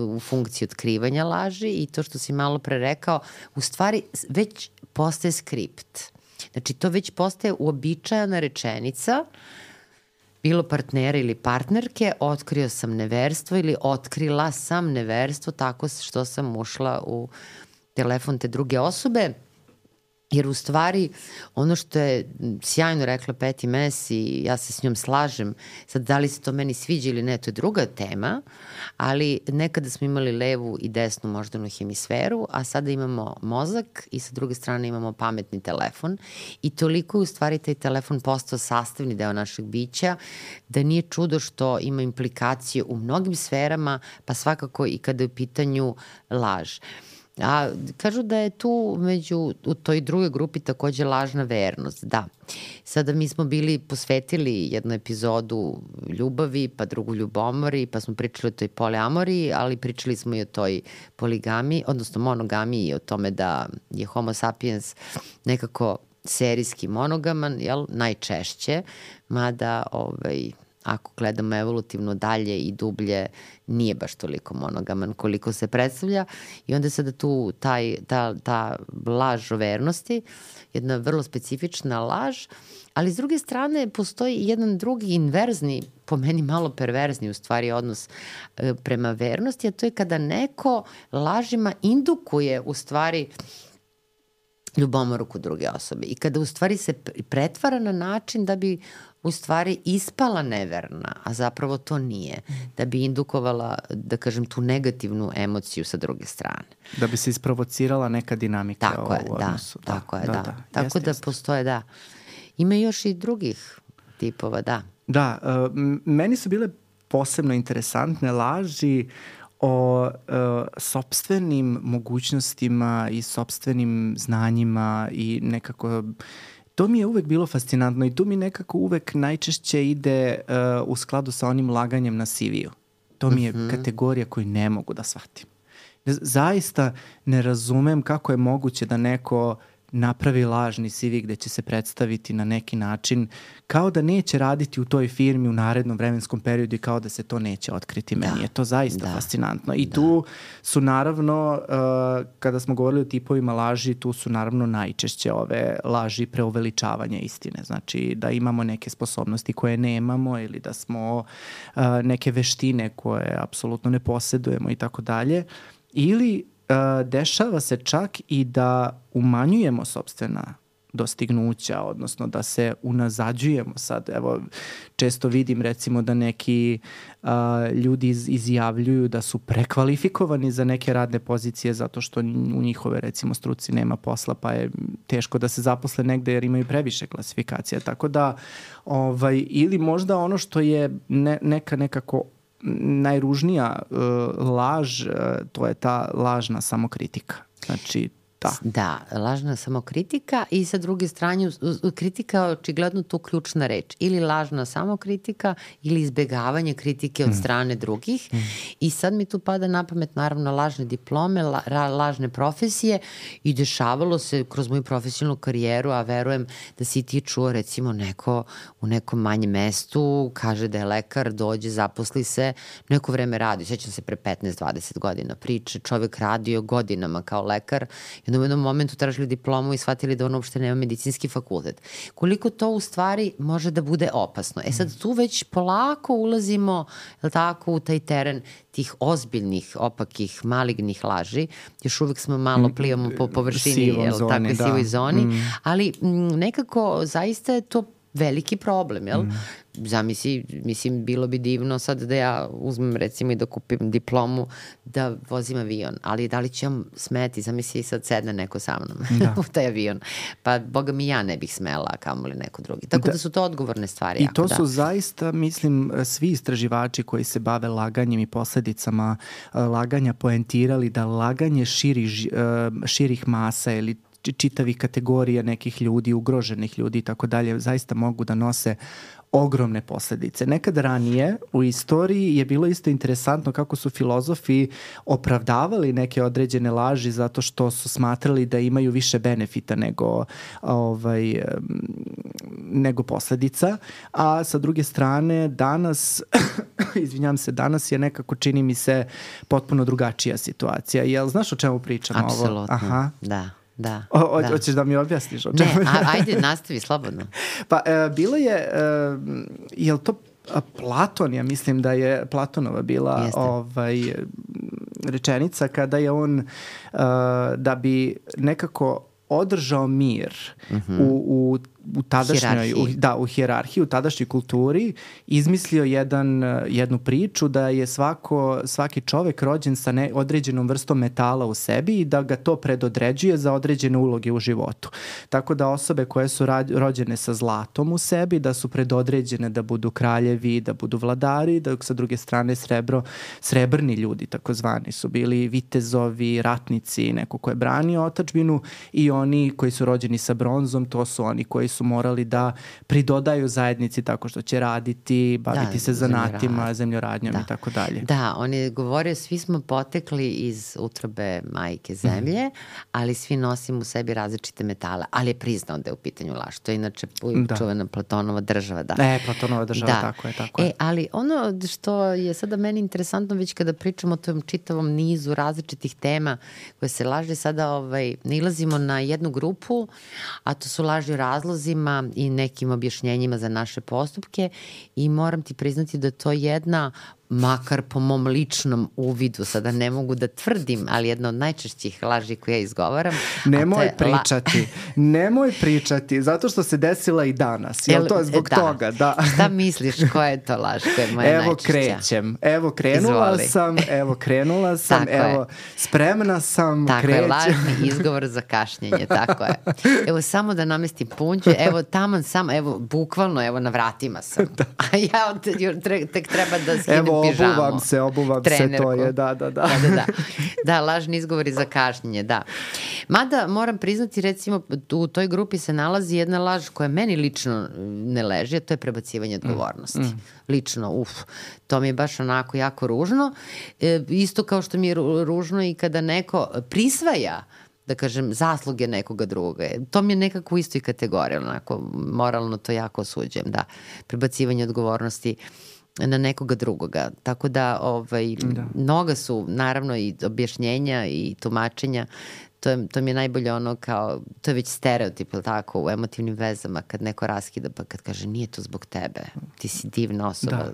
u funkciji otkrivanja laži i to što si malo pre rekao, u stvari već postaje skript. Znači to već postaje uobičajena rečenica, bilo partnera ili partnerke, otkrio sam neverstvo ili otkrila sam neverstvo tako što sam ušla u telefon te druge osobe. Jer u stvari ono što je sjajno rekla Peti Mes i ja se s njom slažem, sad da li se to meni sviđa ili ne, to je druga tema, ali nekada smo imali levu i desnu moždanu hemisferu, a sada imamo mozak i sa druge strane imamo pametni telefon i toliko je u stvari taj telefon postao sastavni deo našeg bića da nije čudo što ima implikacije u mnogim sferama, pa svakako i kada je u pitanju laž. A kažu da je tu u toj drugoj grupi takođe lažna vernost, da. Sada mi smo bili posvetili jednu epizodu ljubavi, pa drugu ljubomori, pa smo pričali o toj poliamoriji, ali pričali smo i o toj poligami, odnosno monogamiji i o tome da je homo sapiens nekako serijski monogaman, jel, najčešće, mada ako gledamo evolutivno dalje i dublje, nije baš toliko monogaman koliko se predstavlja i onda sada tu ta laž o vernosti, jedna vrlo specifična laž, ali s druge strane postoji jedan drugi inverzni, po meni malo perverzni u stvari odnos prema vernosti, a to je kada neko lažima indukuje u stvari ljubomoru kod druge osobe i kada u stvari se pretvara na način da bi u stvari ispala neverna, a zapravo to nije, da bi indukovala, da kažem, tu negativnu emociju sa druge strane. Da bi se isprovocirala neka dinamika u odnosu. Tako je. Tako da postoje, da. Ima još i drugih tipova, da. Da, meni su bile posebno interesantne laži o sopstvenim mogućnostima i sopstvenim znanjima i nekako to mi je uvek bilo fascinantno i tu mi nekako uvek najčešće ide u skladu sa onim laganjem na CV-u. To mi je kategorija koju ne mogu da shvatim. Zaista ne razumem kako je moguće da neko napravi lažni CV gde će se predstaviti na neki način kao da neće raditi u toj firmi u narednom vremenskom periodu i kao da se to neće otkriti. Meni je to zaista fascinantno. I tu su naravno, kada smo govorili o tipovima laži, tu su naravno najčešće ove laži preuveličavanja istine. Znači da imamo neke sposobnosti koje nemamo ili da smo neke veštine koje apsolutno ne posjedujemo i tako dalje. Ili dešava se čak i da umanjujemo sopstvena dostignuća, odnosno da se unazađujemo sad. Evo, često vidim recimo da neki ljudi izjavljuju da su prekvalifikovani za neke radne pozicije zato što u njihove recimo struci nema posla, pa je teško da se zaposle negde jer imaju previše klasifikacija. Tako da, ili možda ono što je nekako najružnija laž, to je ta lažna samokritika. Znači, Da, lažna samokritika i sa druge strane kritika je očigledno tu ključna reč. Ili lažna samokritika ili izbegavanje kritike od strane drugih. I sad mi tu pada na pamet naravno lažne diplome, lažne profesije i dešavalo se kroz moju profesionalnu karijeru, a verujem da si ti čuo recimo neko u nekom manjem mestu kaže da je lekar, dođe, zaposli se, neko vreme radi, sjećam se pre 15-20 godina priče, čovjek radio godinama kao lekar i u jednom momentu tražili diplomu i shvatili da on uopšte nema medicinski fakultet. Koliko to u stvari može da bude opasno. Sad tu već polako ulazimo, je li tako, u taj teren tih ozbiljnih, opakih, malignih laži. Još uvijek smo malo plivamo po površini, sivoj zoni, ali nekako zaista je to veliki problem, jel? Zamisli, mislim, bilo bi divno sad da ja uzmem recimo i da kupim diplomu da vozim avion, ali da li će vam smeti, zamisli sad sedne neko sa mnom u taj avion, pa boga mi ja ne bih smela, kamoli neko drugi. Tako da su to odgovorne stvari. I to su zaista, mislim, svi istraživači koji se bave laganjem i posledicama laganja poentirali da laganje širih masa ili čitavih kategorija nekih ljudi, ugroženih ljudi i tako dalje, zaista mogu da nose ogromne posledice. Nekad ranije u istoriji je bilo isto interesantno kako su filozofi opravdavali neke određene laži zato što su smatrali da imaju više benefita nego posledica, a sa druge strane danas danas je nekako, čini mi se, potpuno drugačija situacija. Jel znaš o čemu pričamo? Apsolutno, Aha. Da. Hoćeš da mi objasniš? Ne, ajde, nastavi slobodno. Pa bilo je, je li to Platon, ja mislim da je Platonova bila rečenica kada je on da bi nekako održao mir u tadašnjoj u hijerarhiji, u tadašnjoj kulturi, izmislio jednu priču da je svaki čovek rođen sa određenom vrstom metala u sebi i da ga to predodređuje za određene uloge u životu. Tako da osobe koje su rođene sa zlatom u sebi, da su predodređene da budu kraljevi, da budu vladari, dok sa druge strane srebrni ljudi, takozvani, su bili vitezovi, ratnici, neko ko je branio otadžbinu, i oni koji su rođeni sa bronzom, to su oni koji su morali da pridodaju zajednici tako što će raditi, baviti se zanatima, zemljoradnjom i tako dalje. Da, on je govorio, svi smo potekli iz utrobe majke zemlje, ali svi nosimo u sebi različite metale, ali je priznao da je u pitanju laž. To je inače čuvena Platonova država. Platonova država, tako je. Ali ono što je sada meni interesantno, već kada pričamo o tom čitavom nizu različitih tema koje se laže, sada nalazimo na jednu grupu, a to su laži o razlozima i nekim objašnjenjima za naše postupke, i moram ti priznati da to jedna, makar po mom ličnom uvidu, sada ne mogu da tvrdim, ali jedna od najčešćih laži koje ja izgovaram. Nemoj pričati, zato što se desila i danas. Jel to je zbog toga? Da. Šta misliš, koja je to laž koja je moja najčešća? Krenula sam, spremna sam, tako je, lažni izgovor za kašnjenje, tako je. Evo, samo da namestim punđu, taman samo, bukvalno, na vratima sam. A ja tek treba da skinem pižamu. Obuvam se, to je, da. Da, lažni izgovori za kašnjenje, da. Mada moram priznati, recimo, u toj grupi se nalazi jedna laž koja meni lično ne leži, a to je prebacivanje odgovornosti. Lično, to mi je baš onako jako ružno. Isto kao što mi je ružno i kada neko prisvaja, da kažem, zasluge nekoga druga. To mi je nekako u istoj kategoriji, onako, moralno to jako osuđujem, da. Prebacivanje odgovornosti na nekoga drugoga. Tako da, mnoga su naravno i objašnjenja i tumačenja to mi je najbolje ono kao, to je već stereotip, ili tako, u emotivnim vezama, kad neko raskida, pa kad kaže nije to zbog tebe, ti si divna osoba,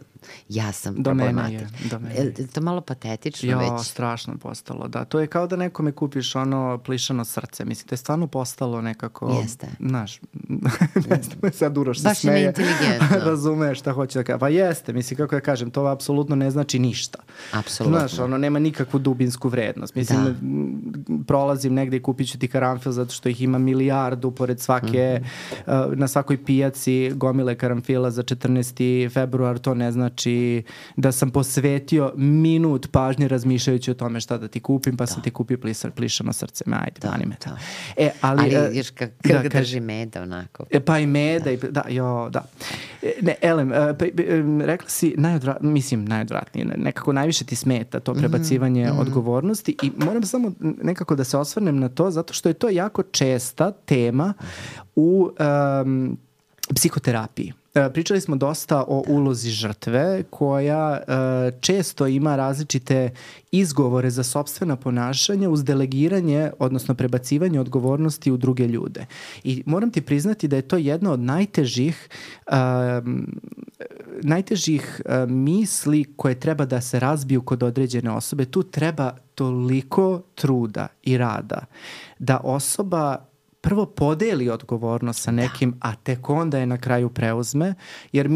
ja sam problematična. Je to malo patetično već? Strašno postalo, da. To je kao da nekome kupiš ono plišano srce. Mislim, to je stvarno postalo nekako... Jeste. Znaš, ne znam, sad Uroš se smeje. Baš je neinteligentno. Razumeš šta hoće da kaže. Pa jeste, mislim, kako ja kažem, to apsolutno ne znači ništa. Apsolutno. Znaš, ono nema nikakvu dubinsku vrednost. Mislim, prolazim negde i kupit ću ti karanfil zato što ih ima milijardu pored svake, na svakoj pijaci gomile karanfila za 14. februar, to ne znači da sam posvetio minut pažnje razmišljajući o tome šta da ti kupim, pa sam ti kupio plišano srce. Ajde, mani me. Ali još kako drži meda onako. Pa i meda, da. Ne, Elem, rekla si najodvratnije, nekako najviše ti smeta to prebacivanje odgovornosti i moram samo nekako da se osvrnem na to zato što je to jako česta tema u psihoterapiji. Pričali smo dosta o ulozi žrtve koja često ima različite izgovore za sopstvena ponašanja uz delegiranje, odnosno prebacivanje odgovornosti u druge ljude. I moram ti priznati da je to jedna od najtežih misli koje treba da se razbiju kod određene osobe. Tu treba toliko truda i rada da osoba prvo podeli odgovornost sa nekim, a tek onda je na kraju preuzme, jer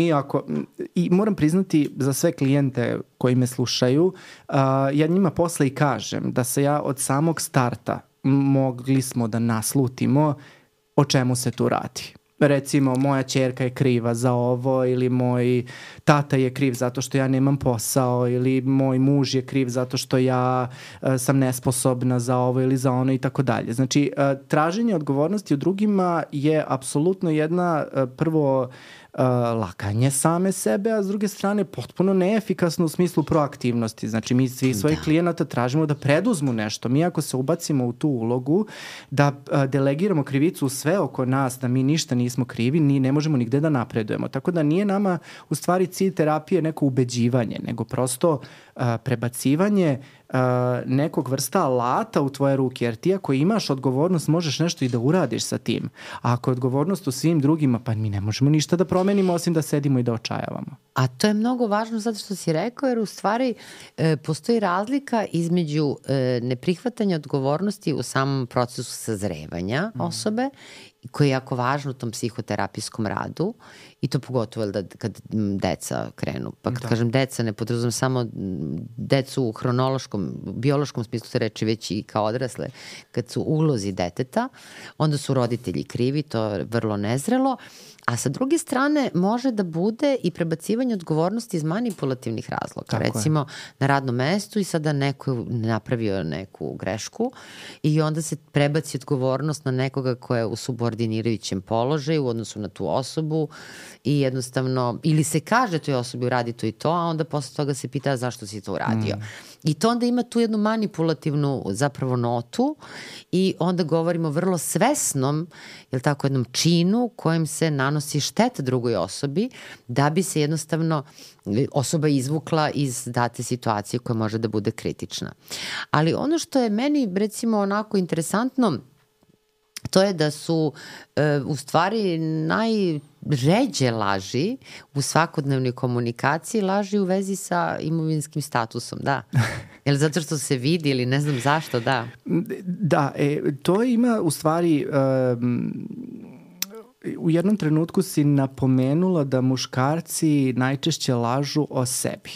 i moram priznati za sve klijente koji me slušaju, ja njima posle i kažem da se ja od samog starta mogli smo da naslutimo o čemu se tu radi. Recimo, moja ćerka je kriva za ovo ili moj tata je kriv zato što ja nemam posao ili moj muž je kriv zato što ja sam nesposobna za ovo ili za ono i tako dalje. Znači, traženje odgovornosti u drugima je apsolutno jedna prvo lakanje same sebe, a s druge strane potpuno neefikasno u smislu proaktivnosti. Znači, mi svi svojih klijenata tražimo da preduzmu nešto. Mi ako se ubacimo u tu ulogu, da delegiramo krivicu u sve oko nas, da mi ništa nismo krivi, ni ne možemo nigde da napredujemo. Tako da nije nama u stvari cilj terapije neko ubeđivanje, nego prosto prebacivanje nekog vrsta alata u tvoje ruke, jer ti ako imaš odgovornost možeš nešto i da uradiš sa tim. A ako je odgovornost u svim drugima, pa mi ne možemo ništa da promenimo osim da sedimo i da očajavamo. A to je mnogo važno zato što si rekao, jer u stvari postoji razlika između neprihvatanja odgovornosti u samom procesu sazrevanja osobe, koje je jako važno u tom psihoterapijskom radu i to pogotovo kad deca krenu. Pa kad kažem deca, ne podrazumem samo decu u hronološkom, biološkom smislu se reči, već i kao odrasle. Kad su ulozi deteta, onda su roditelji krivi, to je vrlo nezrelo. A sa druge strane može da bude i prebacivanje odgovornosti iz manipulativnih razloga. Tako recimo na radnom mestu i sada neko je napravio neku grešku i onda se prebaci odgovornost na nekoga ko je u subordinirajućem položaju u odnosu na tu osobu i jednostavno, ili se kaže toj osobi uradi to i to, a onda posle toga se pita zašto si to uradio. I to onda ima tu jednu manipulativnu zapravo notu i onda govorimo vrlo svesnom, tako, jednom činu kojim se nanosi šteta drugoj osobi da bi se jednostavno osoba izvukla iz date situacije koja može da bude kritična. Ali ono što je meni recimo onako interesantno, to je da su u stvari najređe laži u svakodnevnoj komunikaciji laži u vezi sa imovinskim statusom, da. Jel zato što se vidi ili ne znam zašto, da. Da, to ima u stvari... U jednom trenutku si napomenula da muškarci najčešće lažu o sebi.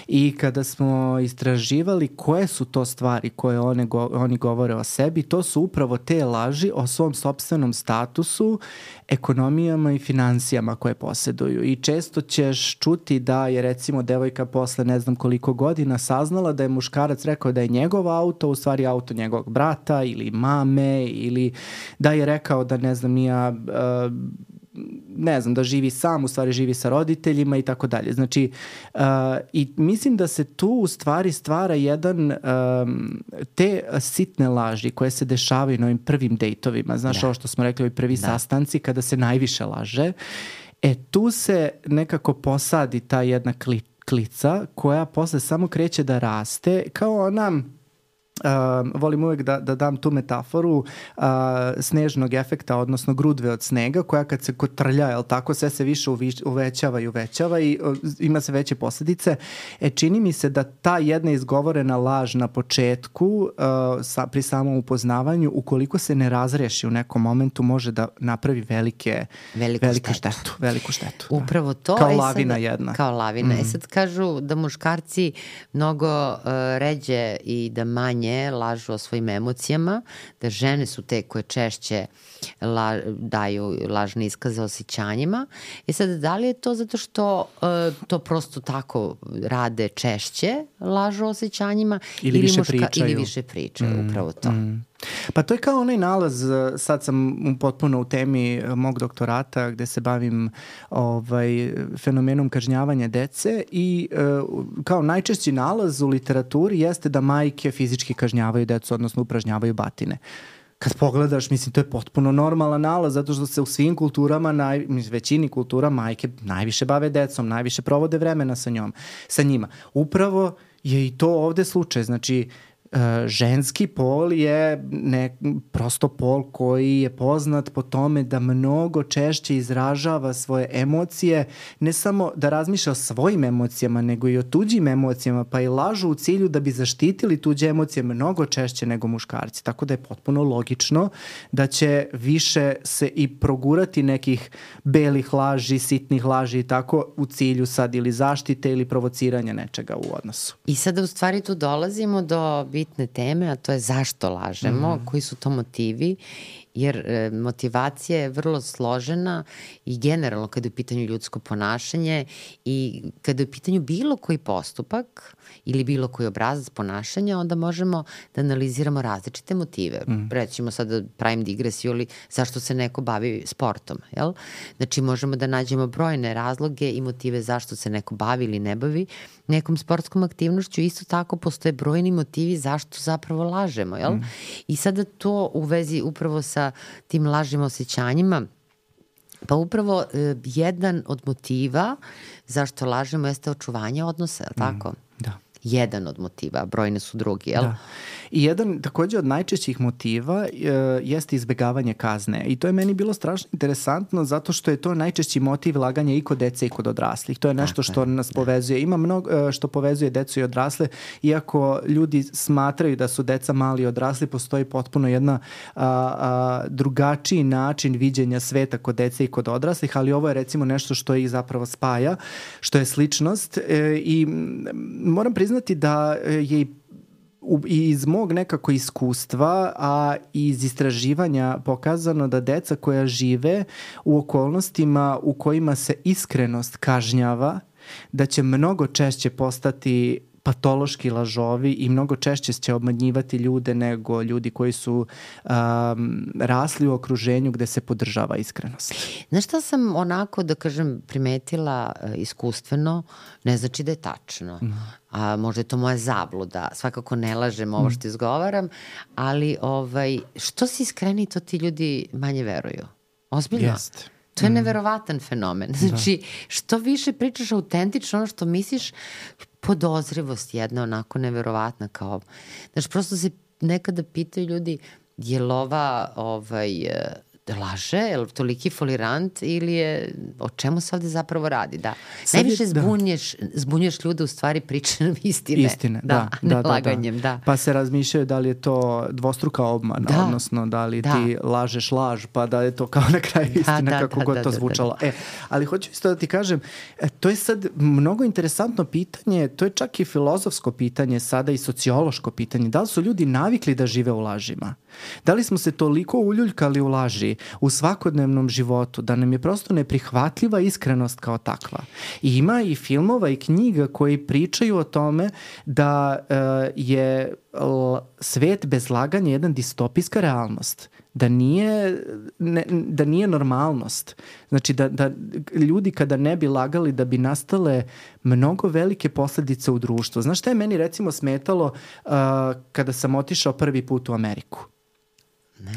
I kada smo istraživali koje su to stvari koje oni govore o sebi, to su upravo te laži o svom sopstvenom statusu, ekonomijama i finansijama koje posjeduju. I često ćeš čuti da je recimo devojka posle ne znam koliko godina saznala da je muškarac rekao da je njegov auto, u stvari auto njegovog brata ili mame, ili da je rekao da ne znam da živi sam, u stvari živi sa roditeljima i tako dalje. Znači, i mislim da se tu u stvari stvara jedan te sitne laži koje se dešavaju na ovim prvim dejtovima. Znaš, ovo što smo rekli, ovi prvi sastanci kada se najviše laže. Tu se nekako posadi ta jedna klica koja posle samo kreće da raste kao ona volim uvek da dam tu metaforu snežnog efekta, odnosno grudve od snega, koja kad se kotrlja, jel tako, sve se više uvećava i ima se veće posledice. Čini mi se da ta jedna izgovorena laž na početku pri samom upoznavanju, ukoliko se ne razreši u nekom momentu, može da napravi veliku štetu. Upravo to. Kao lavina jedna. Kao lavina. Sad kažu da muškarci mnogo ređe i da manje lažu o svojim emocijama, da žene su te koje češće daju lažne iskaze o osjećanjima. I sad, da li je to zato što to prosto tako rade češće, lažu o osjećanjima, ili više pričaju, upravo to. Pa to je kao onaj nalaz, sad sam potpuno u temi mog doktorata gde se bavim fenomenom kažnjavanja dece i kao najčešći nalaz u literaturi jeste da majke fizički kažnjavaju decu, odnosno upražnjavaju batine. Kad pogledaš, mislim, to je potpuno normalan nalaz, zato što se u svim kulturama, većini kultura, majke najviše bave decom, najviše provode vremena sa njima. Upravo je i to ovde slučaj, znači ženski pol je prosto pol koji je poznat po tome da mnogo češće izražava svoje emocije, ne samo da razmišlja o svojim emocijama, nego i o tuđim emocijama, pa i lažu u cilju da bi zaštitili tuđe emocije mnogo češće nego muškarci. Tako da je potpuno logično da će više se i progurati nekih belih laži, sitnih laži i tako u cilju sad ili zaštite ili provociranja nečega u odnosu. I sada u stvari tu dolazimo do bitne teme, a to je zašto lažemo, koji su to motivi, jer motivacija je vrlo složena i generalno kada je u pitanju ljudsko ponašanje i kada je u pitanju bilo koji postupak ili bilo koji obrazac ponašanja, onda možemo da analiziramo različite motive. Recimo sad da pravim digresiju, ali zašto se neko bavi sportom, jel? Znači možemo da nađemo brojne razloge i motive zašto se neko bavi ili ne bavi nekom sportskom aktivnošću. Isto tako postoje brojni motivi zašto zapravo lažemo, jel? I sada to u vezi upravo sa tim lažnim osjećanjima, pa upravo jedan od motiva zašto lažemo jeste očuvanje odnosa, je li tako? Da. Jedan od motiva, brojne su drugi, jel? Da. I jedan takođe od najčešćih motiva jeste izbegavanje kazne. I to je meni bilo strašno interesantno zato što je to najčešći motiv laganja i kod dece i kod odraslih. To je nešto što nas povezuje. Ima mnogo što povezuje decu i odrasle. Iako ljudi smatraju da su deca mali i odrasli, postoji potpuno jedna drugačiji način viđenja sveta kod dece i kod odraslih, ali ovo je recimo nešto što ih zapravo spaja, što je sličnost i moram priznati da je i iz mog nekako iskustva, a iz istraživanja pokazano da deca koja žive u okolnostima u kojima se iskrenost kažnjava, da će mnogo češće postati patološki lažovi i mnogo češće će obmanjivati ljude nego ljudi koji su rasli u okruženju gde se podržava iskrenost. Znaš šta sam onako, da kažem, primetila iskustveno, ne znači da je tačno. A možda je to moja zabluda, svakako ne lažem ovo što izgovaram, ali što si iskreni, to ti ljudi manje veruju. Ozbiljno? Jeste. To je neverovatan fenomen. Znači, što više pričaš autentično, ono što misliš, podozrivost jedna onako neverovatna kao... Znači, prosto se nekada pitaju ljudi, je li ova laže, je li toliki folirant ili je, o čemu se ovde zapravo radi, da. Najviše zbunjuješ ljude u stvari pričanom istine. Da, laganjem, da. Pa se razmišljaju da li je to dvostruka obmana, odnosno da li ti lažeš laž, pa da je to kao na kraju istina, kako god to zvučalo. Ali hoću isto da ti kažem, to je sad mnogo interesantno pitanje, to je čak i filozofsko pitanje, sada i sociološko pitanje, da li su ljudi navikli da žive u lažima? Da li smo se toliko uljuljkali u laži u svakodnevnom životu da nam je prosto neprihvatljiva iskrenost kao takva? I ima i filmova i knjiga koji pričaju o tome da je svet bez laganja jedan distopijska realnost. Da nije normalnost. Znači da ljudi kada ne bi lagali da bi nastale mnogo velike posledice u društvu. Znaš šta je meni recimo smetalo kada sam otišao prvi put u Ameriku? Ne.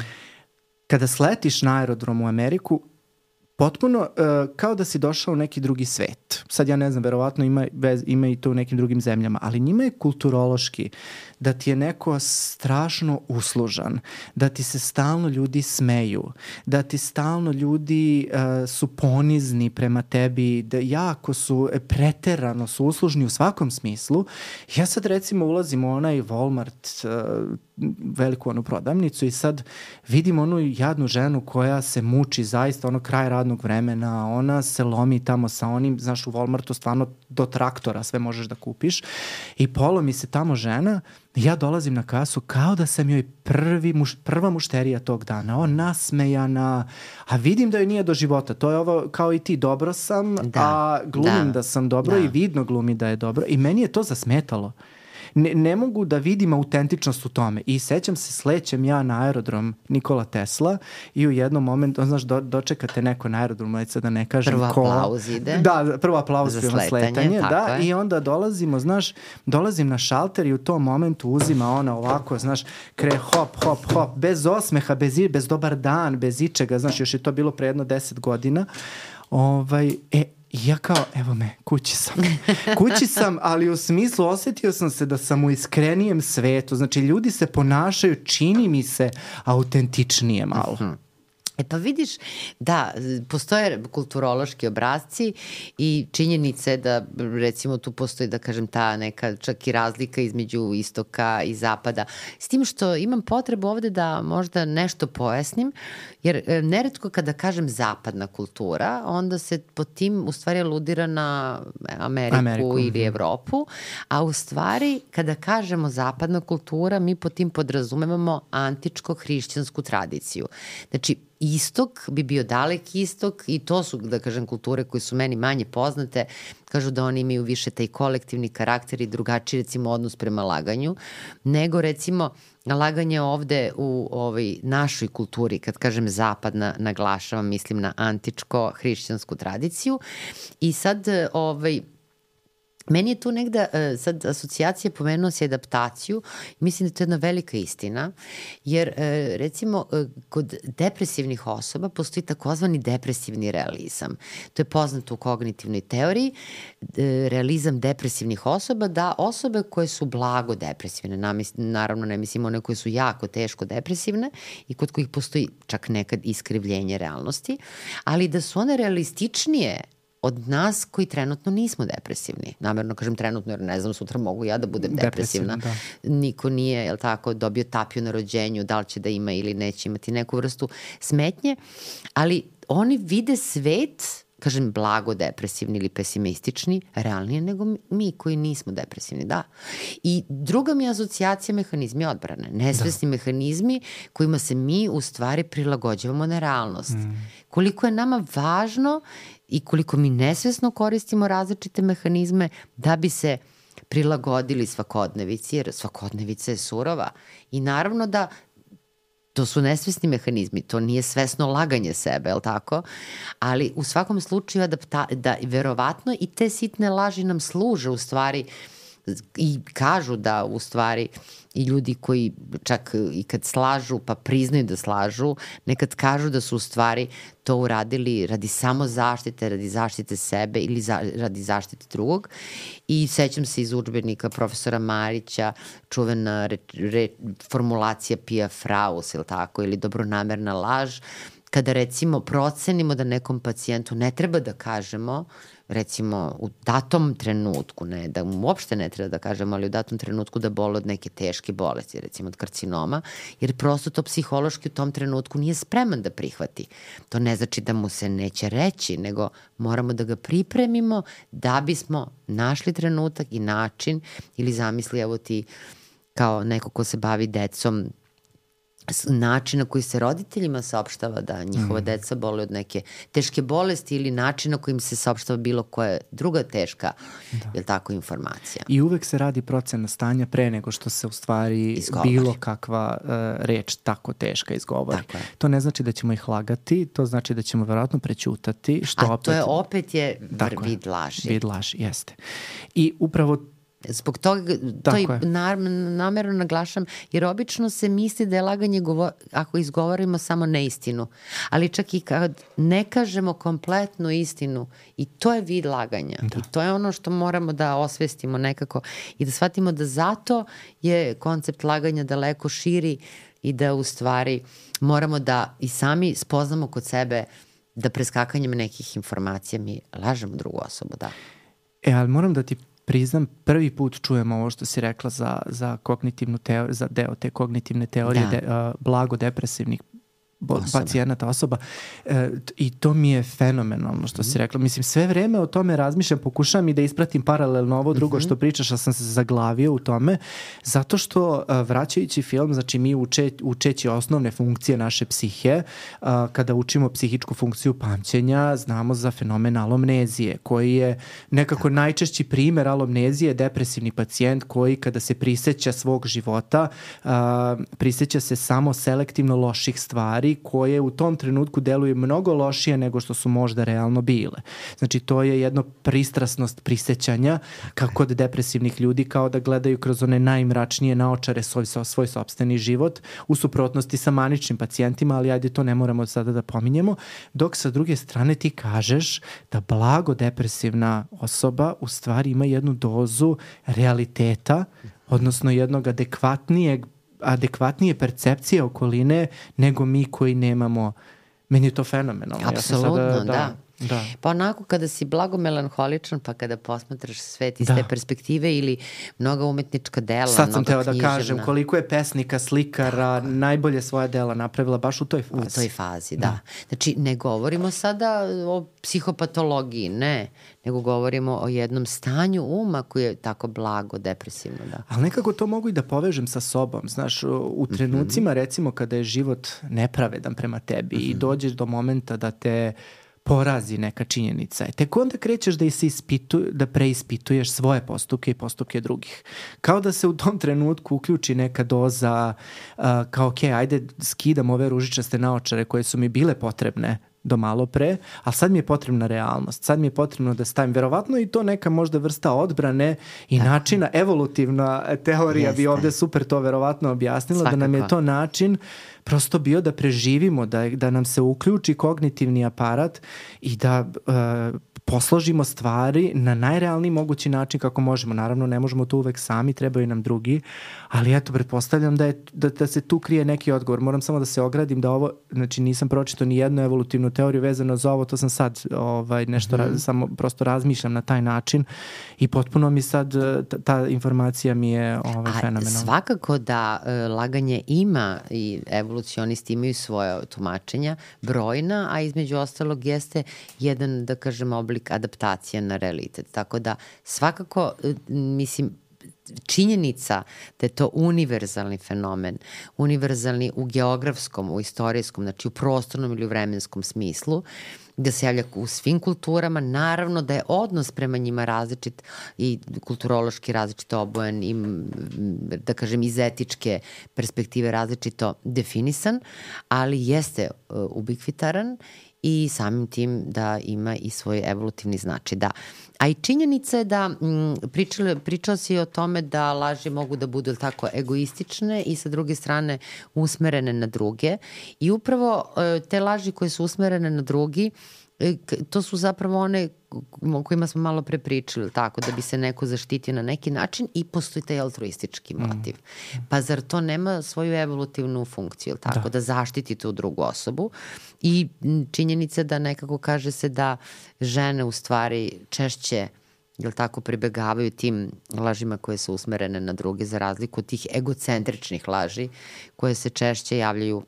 Kada sletiš na aerodrom u Ameriku, potpuno kao da si došao u neki drugi svet. Sad ja ne znam, verovatno ima i to u nekim drugim zemljama, ali njima je kulturološki da ti je neko strašno uslužan, da ti se stalno ljudi smeju, da ti stalno ljudi su ponizni prema tebi, da jako su preterano su uslužni u svakom smislu. Ja sad recimo ulazim u onaj Walmart, veliku onu prodavnicu i sad vidim onu jadnu ženu koja se muči zaista ono kraj radnog vremena, ona se lomi tamo sa onim, znaš u Walmartu stvarno do traktora sve možeš da kupiš i polomi se tamo žena, ja dolazim na kasu kao da sam joj prva mušterija tog dana, nasmejana, a vidim da joj nije do života, to je ovo kao i ti, dobro sam, a glumim da sam dobro i vidno glumi da je dobro i meni je to zasmetalo. Ne mogu da vidim autentičnost u tome. I sećam se, slećem ja na aerodrom Nikola Tesla i u jednom momentu, znaš, dočekate neko na aerodromu, da ne kažem prvo aplauz ide. Da, prvo aplauz za sletanje. Da, i onda dolazimo, znaš, dolazim na šalter i u tom momentu uzima ona ovako, znaš, hop, hop, hop, bez osmeha, bez dobar dan, bez ičega, znaš, još je to bilo pre jedno 10 godina. Ja kao, evo me, kući sam, ali u smislu osetio sam se da sam u iskrenijem svetu, znači ljudi se ponašaju, čini mi se, autentičnije malo. Pa vidiš, da, postoje kulturološki obrazci i činjenice da recimo tu postoji, da kažem, ta neka čak i razlika između istoka i zapada. S tim što imam potrebu ovde da možda nešto pojasnim, jer neretko kada kažem zapadna kultura, onda se po tim u stvari aludira na Ameriku ili Evropu, a u stvari kada kažemo zapadna kultura, mi po tim podrazumevamo antičko-hrišćansku tradiciju. Znači, istok bi bio dalek istok i to su, da kažem, kulture koje su meni manje poznate. Kažu da oni imaju više taj kolektivni karakter i drugačiji, recimo, odnos prema laganju, nego, recimo, laganje ovde u našoj kulturi, kad kažem zapadna, naglašavam, mislim na antičko-hrišćansku tradiciju. I sad, meni je tu negda, sad asocijacija pomenuo se adaptaciju, mislim da to je jedna velika istina, jer recimo kod depresivnih osoba postoji takozvani depresivni realizam. To je poznato u kognitivnoj teoriji, realizam depresivnih osoba, da osobe koje su blago depresivne, naravno ne mislim one koje su jako teško depresivne i kod kojih postoji čak nekad iskrivljenje realnosti, ali da su one realističnije od nas koji trenutno nismo depresivni. Namerno kažem trenutno, jer ne znam, sutra mogu ja da budem depresivna. Niko nije, jel tako, dobio tapiju na rođenju, da li će da ima ili neće imati neku vrstu smetnje, ali oni vide svet, kažem, blago depresivni ili pesimistični, realnije nego mi koji nismo depresivni, da. I druga mi je asocijacija mehanizmi odbrane. Nesvesni mehanizmi kojima se mi u stvari prilagođavamo na realnost. Koliko je nama važno i koliko mi nesvesno koristimo različite mehanizme da bi se prilagodili svakodnevici, jer svakodnevica je surova. I naravno da to su nesvesni mehanizmi, to nije svesno laganje sebe, je li tako? Ali u svakom slučaju da verovatno i te sitne laži nam služe u stvari i kažu da u stvari i ljudi koji čak i kad slažu pa priznaju da slažu, nekad kažu da su u stvari to uradili radi samo zaštite, radi zaštite sebe ili radi zaštite drugog. I sećam se iz udžbenika profesora Marića, čuvena formulacija pia fraus, ili tako, ili dobronamerna laž, kada recimo procenimo da nekom pacijentu ne treba da kažemo, recimo u datom trenutku, ne da mu uopšte ne treba da kažemo, ali u datom trenutku da boli od neke teške bolesti, recimo od karcinoma, jer prosto to psihološki u tom trenutku nije spreman da prihvati. To ne znači da mu se neće reći, nego moramo da ga pripremimo da bismo našli trenutak i način, ili zamisli, evo ti kao neko ko se bavi decom, način na koji se roditeljima saopštava da njihova deca bole od neke teške bolesti ili način na kojim se saopštava bilo koja druga teška, je li tako, informacija. I uvek se radi procena stanja pre nego što se u stvari izgovori bilo kakva reč tako teška izgovori. To ne znači da ćemo ih lagati, to znači da ćemo verovatno prećutati. Što to je opet vid laži. Vid laži, jeste. I upravo Zbog toga, to i namjerno naglašam, jer obično se misli da je laganje ako izgovorimo samo neistinu. Ali čak i kad ne kažemo kompletnu istinu, i to je vid laganja. I to je ono što moramo da osvestimo nekako i da shvatimo da zato je koncept laganja daleko širi i da u stvari moramo da i sami spoznamo kod sebe da preskakanjem nekih informacija mi lažemo drugu osobu, da. Ali moram da ti priznam, prvi put čujem ovo što si rekla za kognitivnu teoriju, za deo te kognitivne teorije blago depresivnih pacijenata, osoba. I to mi je fenomenalno što si rekla. Mislim, sve vreme o tome razmišljam, pokušavam i da ispratim paralelno ovo drugo što pričaš, a sam se zaglavio u tome, zato što vraćajući film, znači mi učeći osnovne funkcije naše psihe, kada učimo psihičku funkciju pamćenja, znamo za fenomen alomnezije, koji je nekako najčešći primer alomnezije, depresivni pacijent koji kada se priseća svog života, priseća se samo selektivno loših stvari koje u tom trenutku deluju mnogo lošije nego što su možda realno bile. Znači, to je jedno pristrasnost prisećanja kod depresivnih ljudi, kao da gledaju kroz one najmračnije naočare svoj sopstveni život, u suprotnosti sa maničnim pacijentima, ali ajde, to ne moramo sada da pominjemo, dok sa druge strane ti kažeš da blago depresivna osoba u stvari ima jednu dozu realiteta, odnosno jednog adekvatnije percepcije okoline nego mi koji nemamo. Meni je to fenomenalno. Apsolutno, da. Pa onako kada si blago melanholičan, pa kada posmatraš svet iz te perspektive ili mnoga umetnička dela, sad sam teo da kažem koliko je pesnika, slikara, najbolje svoje dela napravila baš u toj fazi. U toj fazi, da. Znači, ne govorimo sada o psihopatologiji, ne, nego govorimo o jednom stanju uma koji je tako blago depresivno, da. Ali nekako to mogu i da povežem sa sobom. Znaš, u trenucima, recimo, kada je život nepravedan prema tebi i dođeš do momenta da te porazi neka činjenica. Tek onda krećeš da preispituješ svoje postupke i postupke drugih. Kao da se u tom trenutku uključi neka doza kao ok, ajde skidam ove ružičaste naočare koje su mi bile potrebne do malo pre, ali sad mi je potrebna realnost. Sad mi je potrebno da stavim, verovatno i to neka možda vrsta odbrane i načina, evolutivna teorija bi ovde super to verovatno objasnila, da nam je to način prosto bio da preživimo, da nam se uključi kognitivni aparat i da posložimo stvari na najrealniji mogući način kako možemo. Naravno, ne možemo to uvek sami, trebaju nam drugi, ali eto, pretpostavljam da se tu krije neki odgovor. Moram samo da se ogradim da ovo, znači nisam pročitao ni jednu evolutivnu teoriju vezano za ovo, to sam sad nešto, samo prosto razmišljam na taj način i potpuno mi sad, ta informacija mi je fenomenalna. Svakako da laganje ima i evolucionisti imaju svoje tumačenja, brojna, a između ostalog jeste jedan, da kažem, oblik adaptacija na realitet. Tako da svakako, mislim, činjenica da je to univerzalni fenomen, univerzalni u geografskom, u istorijskom, znači u prostornom ili u vremenskom smislu, da se javlja u svim kulturama, naravno da je odnos prema njima različit i kulturološki različito obojen i, da kažem, iz etičke perspektive različito definisan, ali jeste ubikvitaran i samim tim da ima i svoj evolutivni značaj, da. A i činjenica je da pričao si o tome da laži mogu da budu tako egoistične i sa druge strane usmerene na druge i upravo te laži koje su usmerene na drugi, to su zapravo one o kojima smo malo pre pričali, tako, da bi se neko zaštitio na neki način i postoji taj altruistički motiv. Pa zar to nema svoju evolutivnu funkciju, tako, da zaštiti tu drugu osobu i činjenica da nekako kaže se da žene u stvari češće, jel tako, pribegavaju tim lažima koje su usmerene na druge za razliku od tih egocentričnih laži koje se češće javljaju,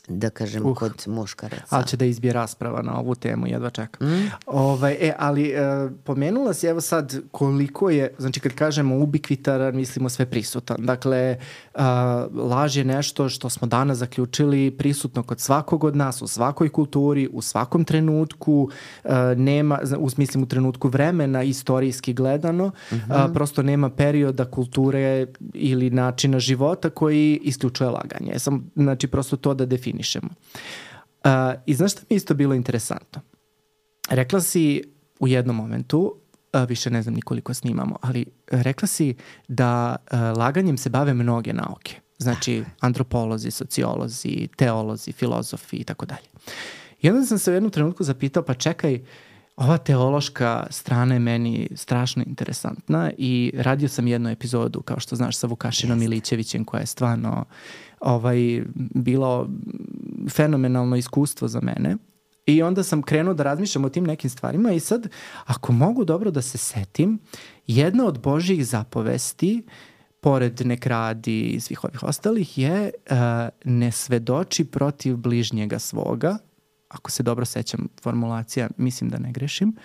da kažem, kod muškaraca. Ali će da izbije rasprava na ovu temu, jedva čekam. Ali pomenula si evo sad koliko je, znači kad kažemo ubikvitaran, mislimo sve prisutan. Dakle, laž je nešto što smo danas zaključili prisutno kod svakog od nas, u svakoj kulturi, u svakom trenutku, nema, mislim u trenutku vremena, istorijski gledano, prosto nema perioda kulture ili načina života koji isključuje laganje. Znači, prosto to da definišemo. I znaš šta mi isto bilo interesantno? Rekla si u jednom momentu više ne znam nikoliko snimamo, ali rekla si da laganjem se bave mnoge nauke. Znači, antropolozi, sociolozi, teolozi, filozofi i tako dalje. I onda sam se u jednom trenutku zapitao, pa čekaj, ova teološka strana je meni strašno interesantna i radio sam jednu epizodu, kao što znaš, sa Vukašinom Milićevićem, koja je stvarno bilo fenomenalno iskustvo za mene. I onda sam krenuo da razmišljam o tim nekim stvarima i sad, ako mogu dobro da se setim, jedna od Božjih zapovesti, pored ne kradi i svih ovih ostalih, je ne svedoči protiv bližnjega svoga. Ako se dobro sećam formulacija, mislim da ne grešim.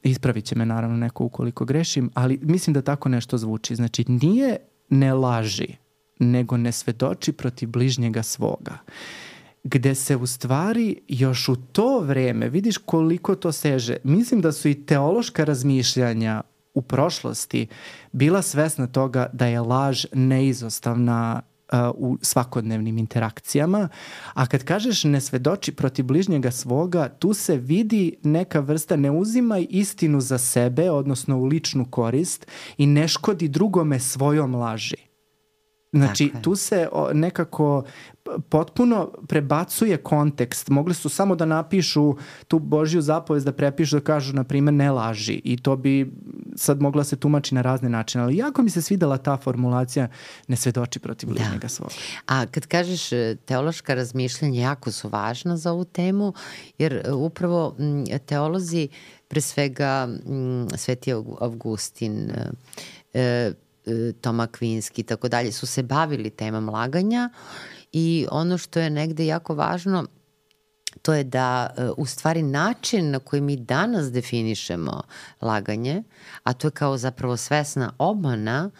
Ispravit će me naravno neko ukoliko grešim, ali mislim da tako nešto zvuči. Znači, nije ne laži, nego ne svedoči protiv bližnjega svoga. Gde se u stvari još u to vreme, vidiš koliko to seže, mislim da su i teološka razmišljanja u prošlosti bila svesna toga da je laž neizostavna u svakodnevnim interakcijama, a kad kažeš ne svedoči protiv bližnjega svoga, tu se vidi neka vrsta ne uzimaj istinu za sebe, odnosno u ličnu korist i ne škodi drugome svojom laži. Znači, tu se nekako potpuno prebacuje kontekst. Mogli su samo da napišu tu Božju zapovest, da prepišu, da kažu, na primjer, ne laži. I to bi sad mogla se tumači na razne načine. Ali jako mi se svidela ta formulacija ne svedoči protiv bližnjega svoga. A kad kažeš teološka razmišljanja jako su važna za ovu temu, jer upravo teolozi, pre svega Sveti Avgustin, Toma Akvinski i tako dalje, su se bavili temom laganja i ono što je negde jako važno, to je da u stvari način na koji mi danas definišemo laganje, a to je kao zapravo svesna obmana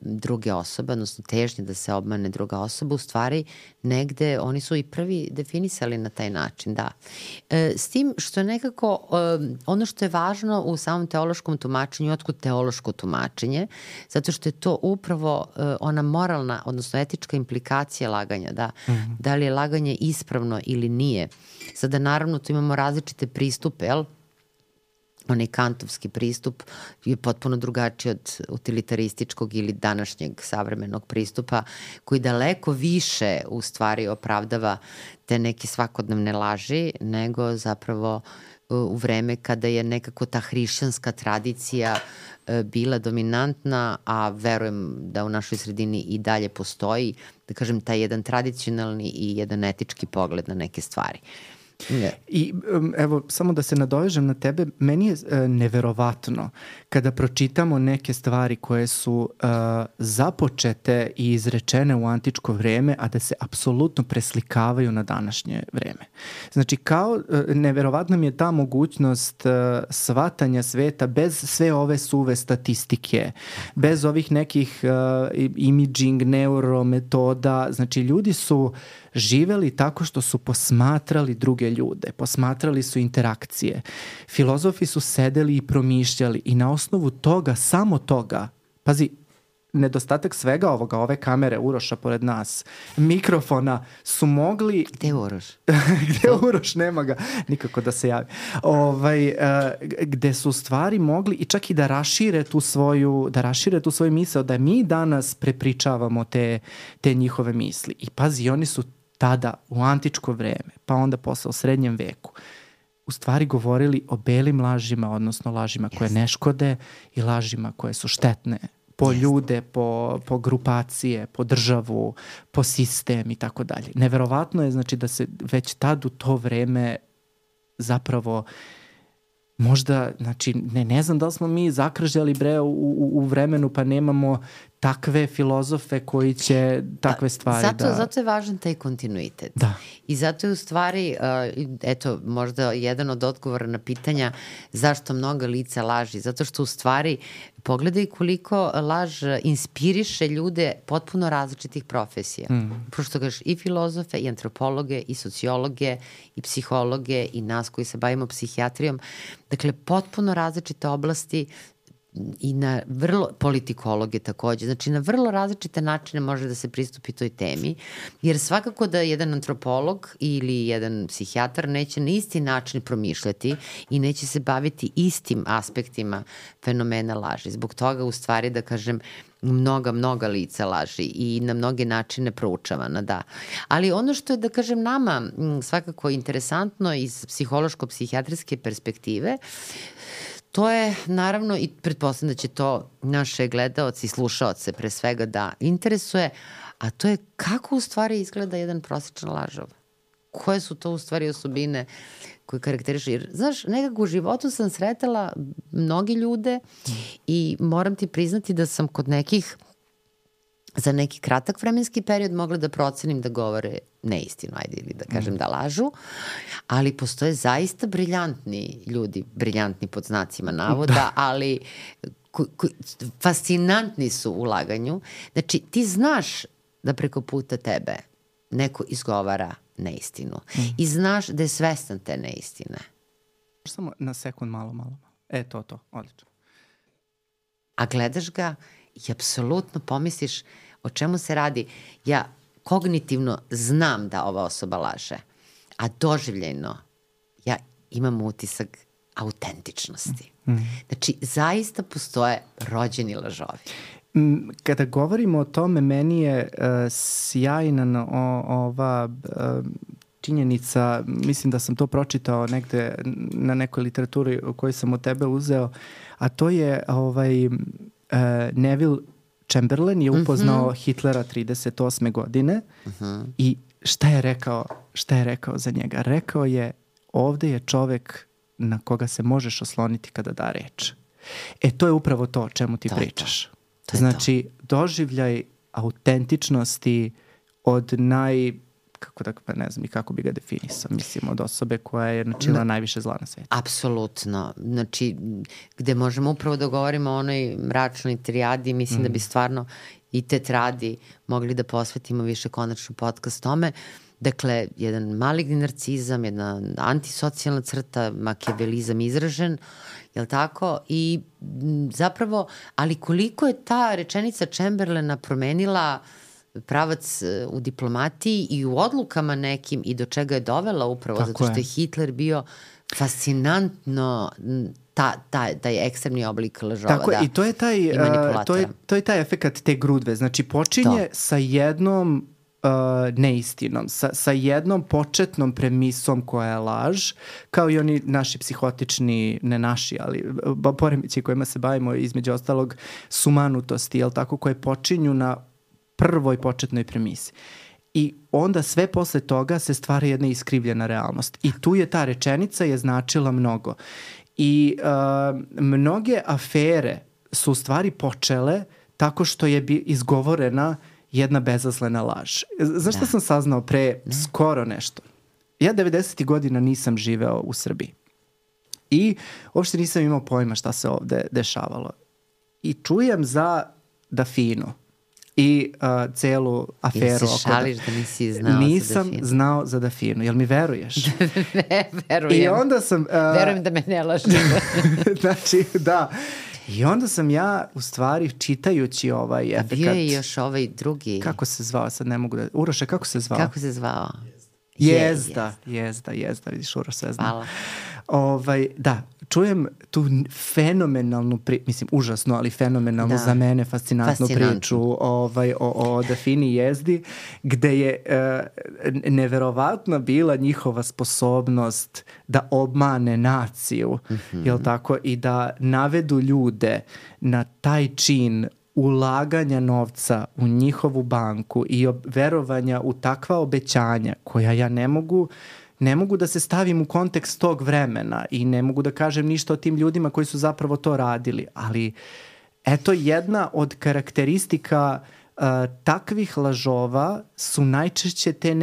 druge osobe, odnosno težnje da se obmane druga osoba, u stvari negde oni su i prvi definisali na taj način, da. S tim što je nekako ono što je važno u samom teološkom tumačenju, otkud teološko tumačenje, zato što je to upravo ona moralna, odnosno etička implikacija laganja, da. Da li je laganje ispravno ili nije. Sada naravno tu imamo različite pristupe, jel? Onaj kantovski pristup je potpuno drugačiji od utilitarističkog ili današnjeg savremenog pristupa, koji daleko više u stvari opravdava te neke svakodnevne laži, nego zapravo u vreme kada je nekako ta hrišćanska tradicija bila dominantna, a verujem da u našoj sredini i dalje postoji, da kažem, taj jedan tradicionalni i jedan etički pogled na neke stvari. Ne. I evo, samo da se nadovežem na tebe, meni je neverovatno kada pročitamo neke stvari koje su započete i izrečene u antičko vreme, a da se apsolutno preslikavaju na današnje vreme. Znači, kao neverovatno mi je ta mogućnost shvatanja sveta bez sve ove suve statistike, bez ovih nekih imaging neurometoda. Znači, ljudi su živeli tako što su posmatrali druge ljude, posmatrali su interakcije. Filozofi su sedeli i promišljali i na osnovu toga, samo toga, pazi, nedostatak svega ovoga, ove kamere, Uroša pored nas, mikrofona, su mogli... Gde je Uroš? Gde je Uroš? Nema ga nikako da se javi. Gde su stvari mogli i čak i da rašire tu svoju misao, da mi danas prepričavamo te njihove misli. I pazi, oni su tada u antičko vreme, pa onda posle u srednjem veku, u stvari govorili o belim lažima, odnosno lažima koje ne škode i lažima koje su štetne po ljude, po grupacije, po državu, po sistem i tako dalje. Neverovatno je, znači, da se već tad u to vreme zapravo možda, znači, ne znam da li smo mi zakržljali u vremenu pa nemamo takve filozofe koji će takve stvari Zato je važan taj kontinuitet. Da. I zato je u stvari, eto, možda jedan od odgovora na pitanja zašto mnoga lica laži. Zato što u stvari pogledaj koliko laž inspiriše ljude potpuno različitih profesija. Pošto kažeš i filozofe, i antropologe, i sociologe, i psihologe, i nas koji se bavimo psihijatrijom. Dakle, potpuno različite oblasti i na vrlo, politikologe takođe, znači na vrlo različite načine može da se pristupi toj temi, jer svakako da jedan antropolog ili jedan psihijatar neće na isti način promišljati i neće se baviti istim aspektima fenomena laži. Zbog toga, u stvari, da kažem, mnoga lica laži i na mnoge načine proučavana, da. Ali ono što je, da kažem, nama svakako interesantno iz psihološko-psihijatrijske perspektive, to je naravno, i pretpostavljam da će to naše gledaoci i slušaoce pre svega da interesuje, a to je kako u stvari izgleda jedan prosječan lažov. Koje su to u stvari osobine koje karakterišu? Jer, znaš, nekako u životu sam sretala mnogi ljude i moram ti priznati da sam kod nekih za neki kratak vremenski period mogla da procenim da govore neistinu, ajde, ili da kažem da lažu, ali postoje zaista briljantni ljudi, briljantni pod znacima navoda, ali fascinantni su u laganju. Znači, ti znaš da preko puta tebe neko izgovara neistinu i znaš da je svestan te neistine. Samo na sekund malo. To, odlično. A gledaš ga i apsolutno pomisliš o čemu se radi. Ja kognitivno znam da ova osoba laže, a doživljajno ja imam utisak autentičnosti. Znači, zaista postoje rođeni lažovi. Kada govorimo o tome, meni je sjajna ova činjenica, mislim da sam to pročitao negde na nekoj literaturi koju sam od tebe uzeo, a to je Neville Chamberlain je upoznao Hitlera 38. godine i šta je rekao za njega? Rekao je, ovde je čovek na koga se možeš osloniti kada da reč. To je upravo to o čemu ti pričaš. Znači, doživljaj autentičnosti od ne znam i kako bi ga definisao, mislim, od osobe koja je načinila najviše zla na svijetu. Apsolutno. Znači, gde možemo upravo da govorimo o onoj mračnoj trijadi, mislim da bi stvarno i tetradi mogli da posvetimo više konačno podcast tome. Dakle, jedan maligni narcizam, jedna antisocijalna crta, makijavelizam izražen, jel tako? I zapravo, ali koliko je ta rečenica Chamberlaina promenila pravac u diplomatiji i u odlukama nekim i do čega je dovela upravo, zato što je Hitler bio fascinantno taj ekstremni oblik lažova. Tako je, i to je taj efekat te grudve. Znači, počinje sa jednom neistinom, sa jednom početnom premisom koja je laž, kao i oni naši psihotični, ne naši, ali poremećaji kojima se bavimo, između ostalog sumanutosti, jel tako, koje počinju na prvoj početnoj premisi. I onda sve posle toga se stvara jedna iskrivljena realnost. I tu je ta rečenica je značila mnogo. I mnoge afere su u stvari počele tako što je izgovorena jedna bezazlena laž. Znaš šta sam saznao pre skoro nešto? Ja 90. godina nisam živeo u Srbiji. I uopšte nisam imao pojma šta se ovde dešavalo. I čujem za Dafinu i celu aferu. Ili se šališ da nisi znao za Dafinu? Nisam znao za Dafinu. Jel mi veruješ? Verujem. I onda sam... Verujem da me ne laže. Znači, da. I onda sam ja, u stvari, čitajući ovaj efekat... Bio je još ovaj drugi... Kako se zvao? Sad ne mogu da... Uroše, kako se zvao? Kako se zvao? Jezda. Vidiš, Uroš sve zna. Hvala. Da, čujem tu fenomenalnu, mislim, užasno, ali fenomenalnu za mene, fascinantnu priču o Dafini Jezdi, gde je neverovatna bila njihova sposobnost da obmane naciju, jel tako, i da navedu ljude na taj čin ulaganja novca u njihovu banku i verovanja u takva obećanja koja ja ne mogu da se stavim u kontekst tog vremena i ne mogu da kažem ništa o tim ljudima koji su zapravo to radili, ali eto, jedna od karakteristika takvih lažova su najčešće te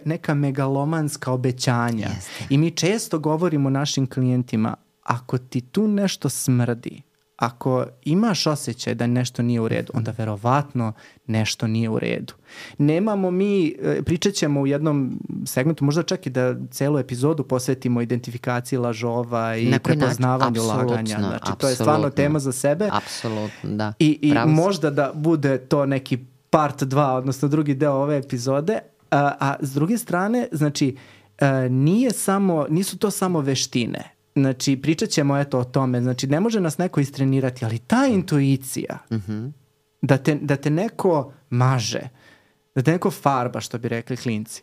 neka megalomanska obećanja. I mi često govorimo našim klijentima, ako ti tu nešto smrdi, ako imaš osjećaj da nešto nije u redu, onda verovatno nešto nije u redu. Nemamo mi, pričat ćemo u jednom segmentu, možda čak i da celu epizodu posvetimo identifikaciji lažova i prepoznavanju laganja. Znači, to je stvarno tema za sebe. Apsolutno, da. I možda da bude to neki part 2, odnosno drugi deo ove epizode. A s druge strane, znači, nisu to samo veštine. Znači, pričat ćemo o tome. Znači, ne može nas neko istrenirati, ali ta intuicija da te neko maže, da te neko farba, što bi rekli klinci.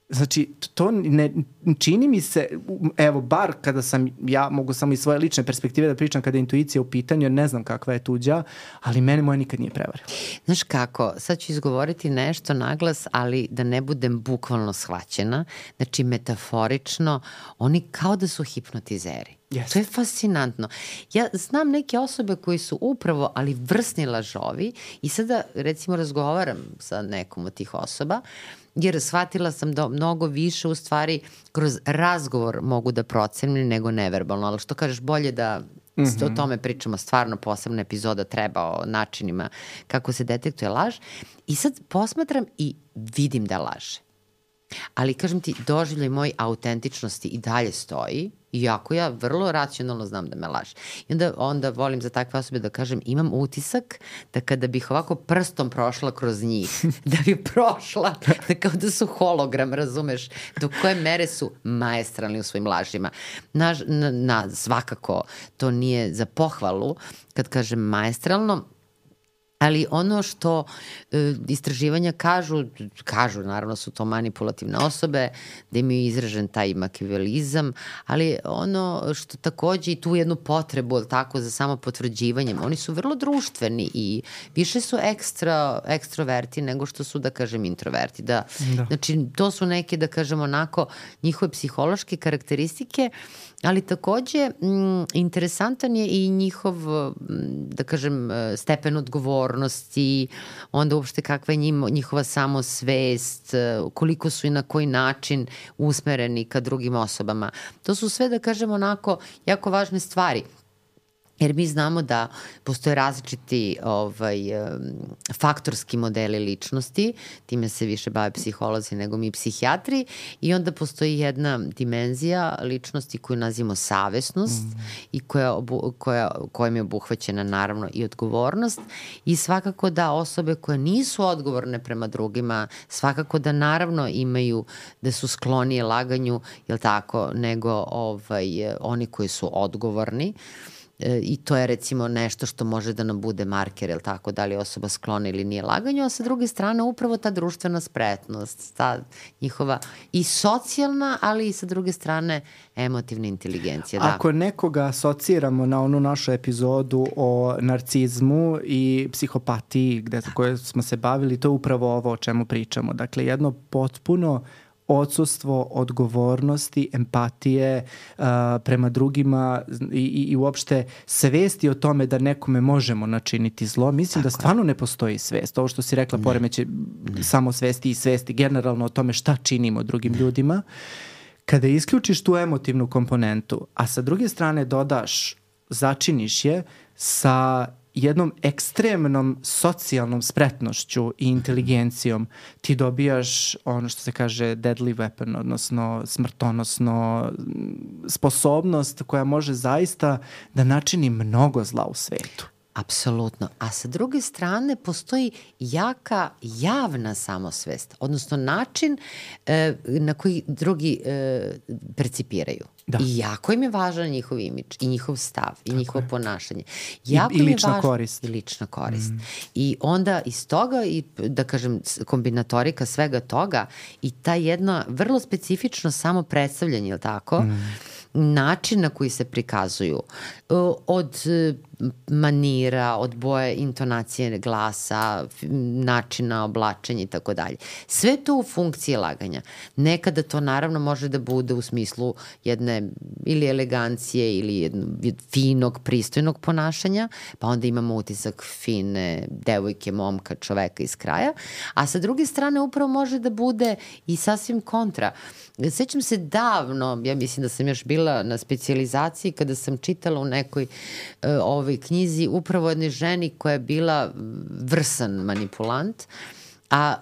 Znači, to ne čini mi se, evo, bar kada ja mogu samo iz svoje lične perspektive da pričam kada je intuicija u pitanju, jer ne znam kakva je tuđa, ali mene moja nikad nije prevarila. Znaš kako, sad ću izgovoriti nešto naglas, ali da ne budem bukvalno shvaćena, znači metaforično, oni kao da su hipnotizeri. Yes. To je fascinantno. Ja znam neke osobe koji su upravo, ali vrsni lažovi i sada recimo razgovaram sa nekom od tih osoba, jer shvatila sam da mnogo više u stvari kroz razgovor mogu da procenim nego neverbalno, ali što kažeš, bolje da o tome pričamo, stvarno posebna epizoda treba o načinima kako se detektuje laž. I sad posmatram i vidim da laže. Ali kažem ti, doživljaj moj autentičnosti i dalje stoji, iako ja vrlo racionalno znam da me laže. I onda volim za takve osobe da kažem, imam utisak da kada bih ovako prstom prošla kroz njih, da bi prošla, da kao da su hologram, razumeš, do koje mere su maestralni u svojim lažima. Svakako, to nije za pohvalu, kad kažem maestralno, ali ono što istraživanja kažu, naravno su to manipulativne osobe, da imaju izražen taj makiavelizam, ali ono što takođe i tu jednu potrebu, tako, za samo potvrđivanjem, oni su vrlo društveni i više su ekstroverti nego što su, da kažem, introverti. Znači, to su neke, da kažem, onako, njihove psihološke karakteristike, ali takođe interesantan je i njihov, da kažem, stepen odgovornosti, onda uopšte kakva je njihova samosvest, koliko su i na koji način usmereni ka drugim osobama. To su sve, da kažem, onako, jako važne stvari. Jer mi znamo da postoje različiti faktorski modeli ličnosti, time se više bave psiholozi nego mi psihijatri, i onda postoji jedna dimenzija ličnosti koju nazivamo savesnost i kojom je obuhvaćena naravno i odgovornost, i svakako da osobe koje nisu odgovorne prema drugima, svakako da naravno imaju, da su sklonije laganju, jel tako, nego oni koji su odgovorni. I to je recimo nešto što može da nam bude marker, jel tako, da li je osoba sklona ili nije laganju, a sa druge strane upravo ta društvena spretnost, ta njihova i socijalna, ali i sa druge strane emotivna inteligencija. Da. Ako nekoga asociramo na onu našu epizodu o narcizmu i psihopatiji koje smo se bavili, to je upravo ovo o čemu pričamo. Dakle, jedno potpuno odsustvo odgovornosti, empatije prema drugima i uopšte svesti o tome da nekome možemo načiniti zlo. Mislim da stvarno ne postoji svest. Ovo što si rekla, poremeće samosvesti i svesti generalno o tome šta činimo drugim ljudima. Kada isključiš tu emotivnu komponentu, a sa druge strane začiniš je sa jednom ekstremnom socijalnom spretnošću i inteligencijom, ti dobijaš ono što se kaže deadly weapon, odnosno smrtonosno sposobnost koja može zaista da načini mnogo zla u svetu. Apsolutno. A sa druge strane postoji jaka javna samosvest, odnosno način na koji drugi percipiraju. Da. I jako im je važan njihov imidž i njihov stav i njihovo ponašanje. I lična korist. I lična korist. I onda iz toga, i da kažem kombinatorika svega toga i ta jedna vrlo specifično samo predstavljanje, je li tako? Način na koji se prikazuju, od manira, od boje intonacije glasa, načina oblačenja i tako dalje. Sve to u funkciji laganja. Nekada to naravno može da bude u smislu jedne jedne ili elegancije ili finog, pristojnog ponašanja, pa onda imamo utisak fine devojke, momka, čoveka iz kraja, a sa druge strane upravo može da bude i sasvim kontra. Sećam se davno, ja mislim da sam još bila na specijalizaciji kada sam čitala u nekoj ovoj knjizi upravo jednoj ženi koja je bila vrsan manipulant, a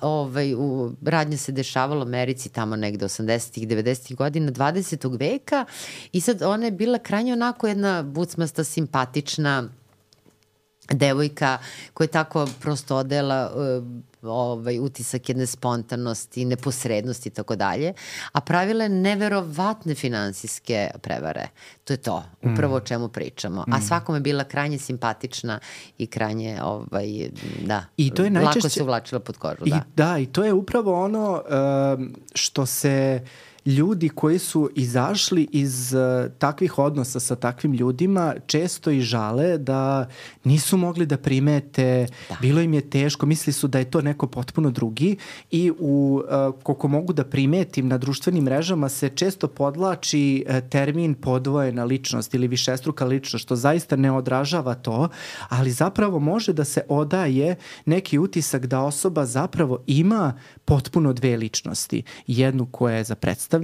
radnje se dešavalo u Americi tamo negde 80-ih, 90-ih godina 20. veka i sad ona je bila krajnje onako jedna bucmasta, simpatična devojka koja je tako prosto odela utisak jedne spontanosti, neposrednosti i tako dalje, a pravila je neverovatne finansijske prevare. To je to, upravo o čemu pričamo. A svakome je bila krajnje simpatična i krajnje, I to je najčešće, lako se uvlačila pod kožu. Da. I to je upravo ono što se ljudi koji su izašli iz takvih odnosa sa takvim ljudima često i žale da nisu mogli da primete, bilo im je teško, misli su da je to neko potpuno drugi i koliko mogu da primetim na društvenim mrežama se često podlači termin podvojena ličnost ili višestruka ličnost, što zaista ne odražava to, ali zapravo može da se odaje neki utisak da osoba zapravo ima potpuno dve ličnosti. Jednu koja je za predstavljanje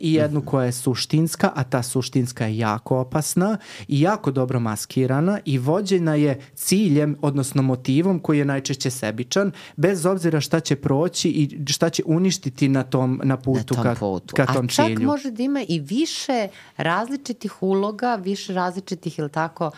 i jednu koja je suštinska, a ta suštinska je jako opasna i jako dobro maskirana i vođena je ciljem, odnosno motivom koji je najčešće sebičan, bez obzira šta će proći i šta će uništiti na putu ka tom cilju. A čak može da ima i više različitih uloga, više različitih, ili tako,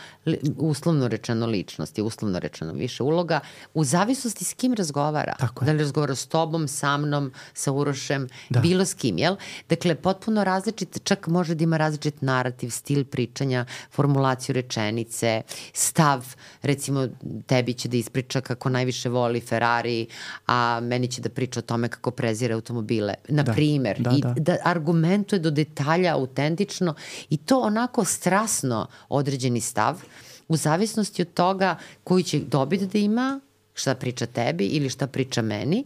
uslovno rečeno ličnosti, uslovno rečeno više uloga, u zavisnosti s kim razgovara. Da li razgovara s tobom, sa mnom, sa Urošem, bilo s kim, jel? Dakle, potpuno različit, čak može da ima različit narativ, stil pričanja, formulaciju rečenice, stav, recimo tebi će da ispriča kako najviše voli Ferrari, a meni će da priča o tome kako prezire automobile. Na primer, da argumentuje do detalja autentično i to onako strasno određeni stav, u zavisnosti od toga koji će dobiti da ima, šta priča tebi ili šta priča meni.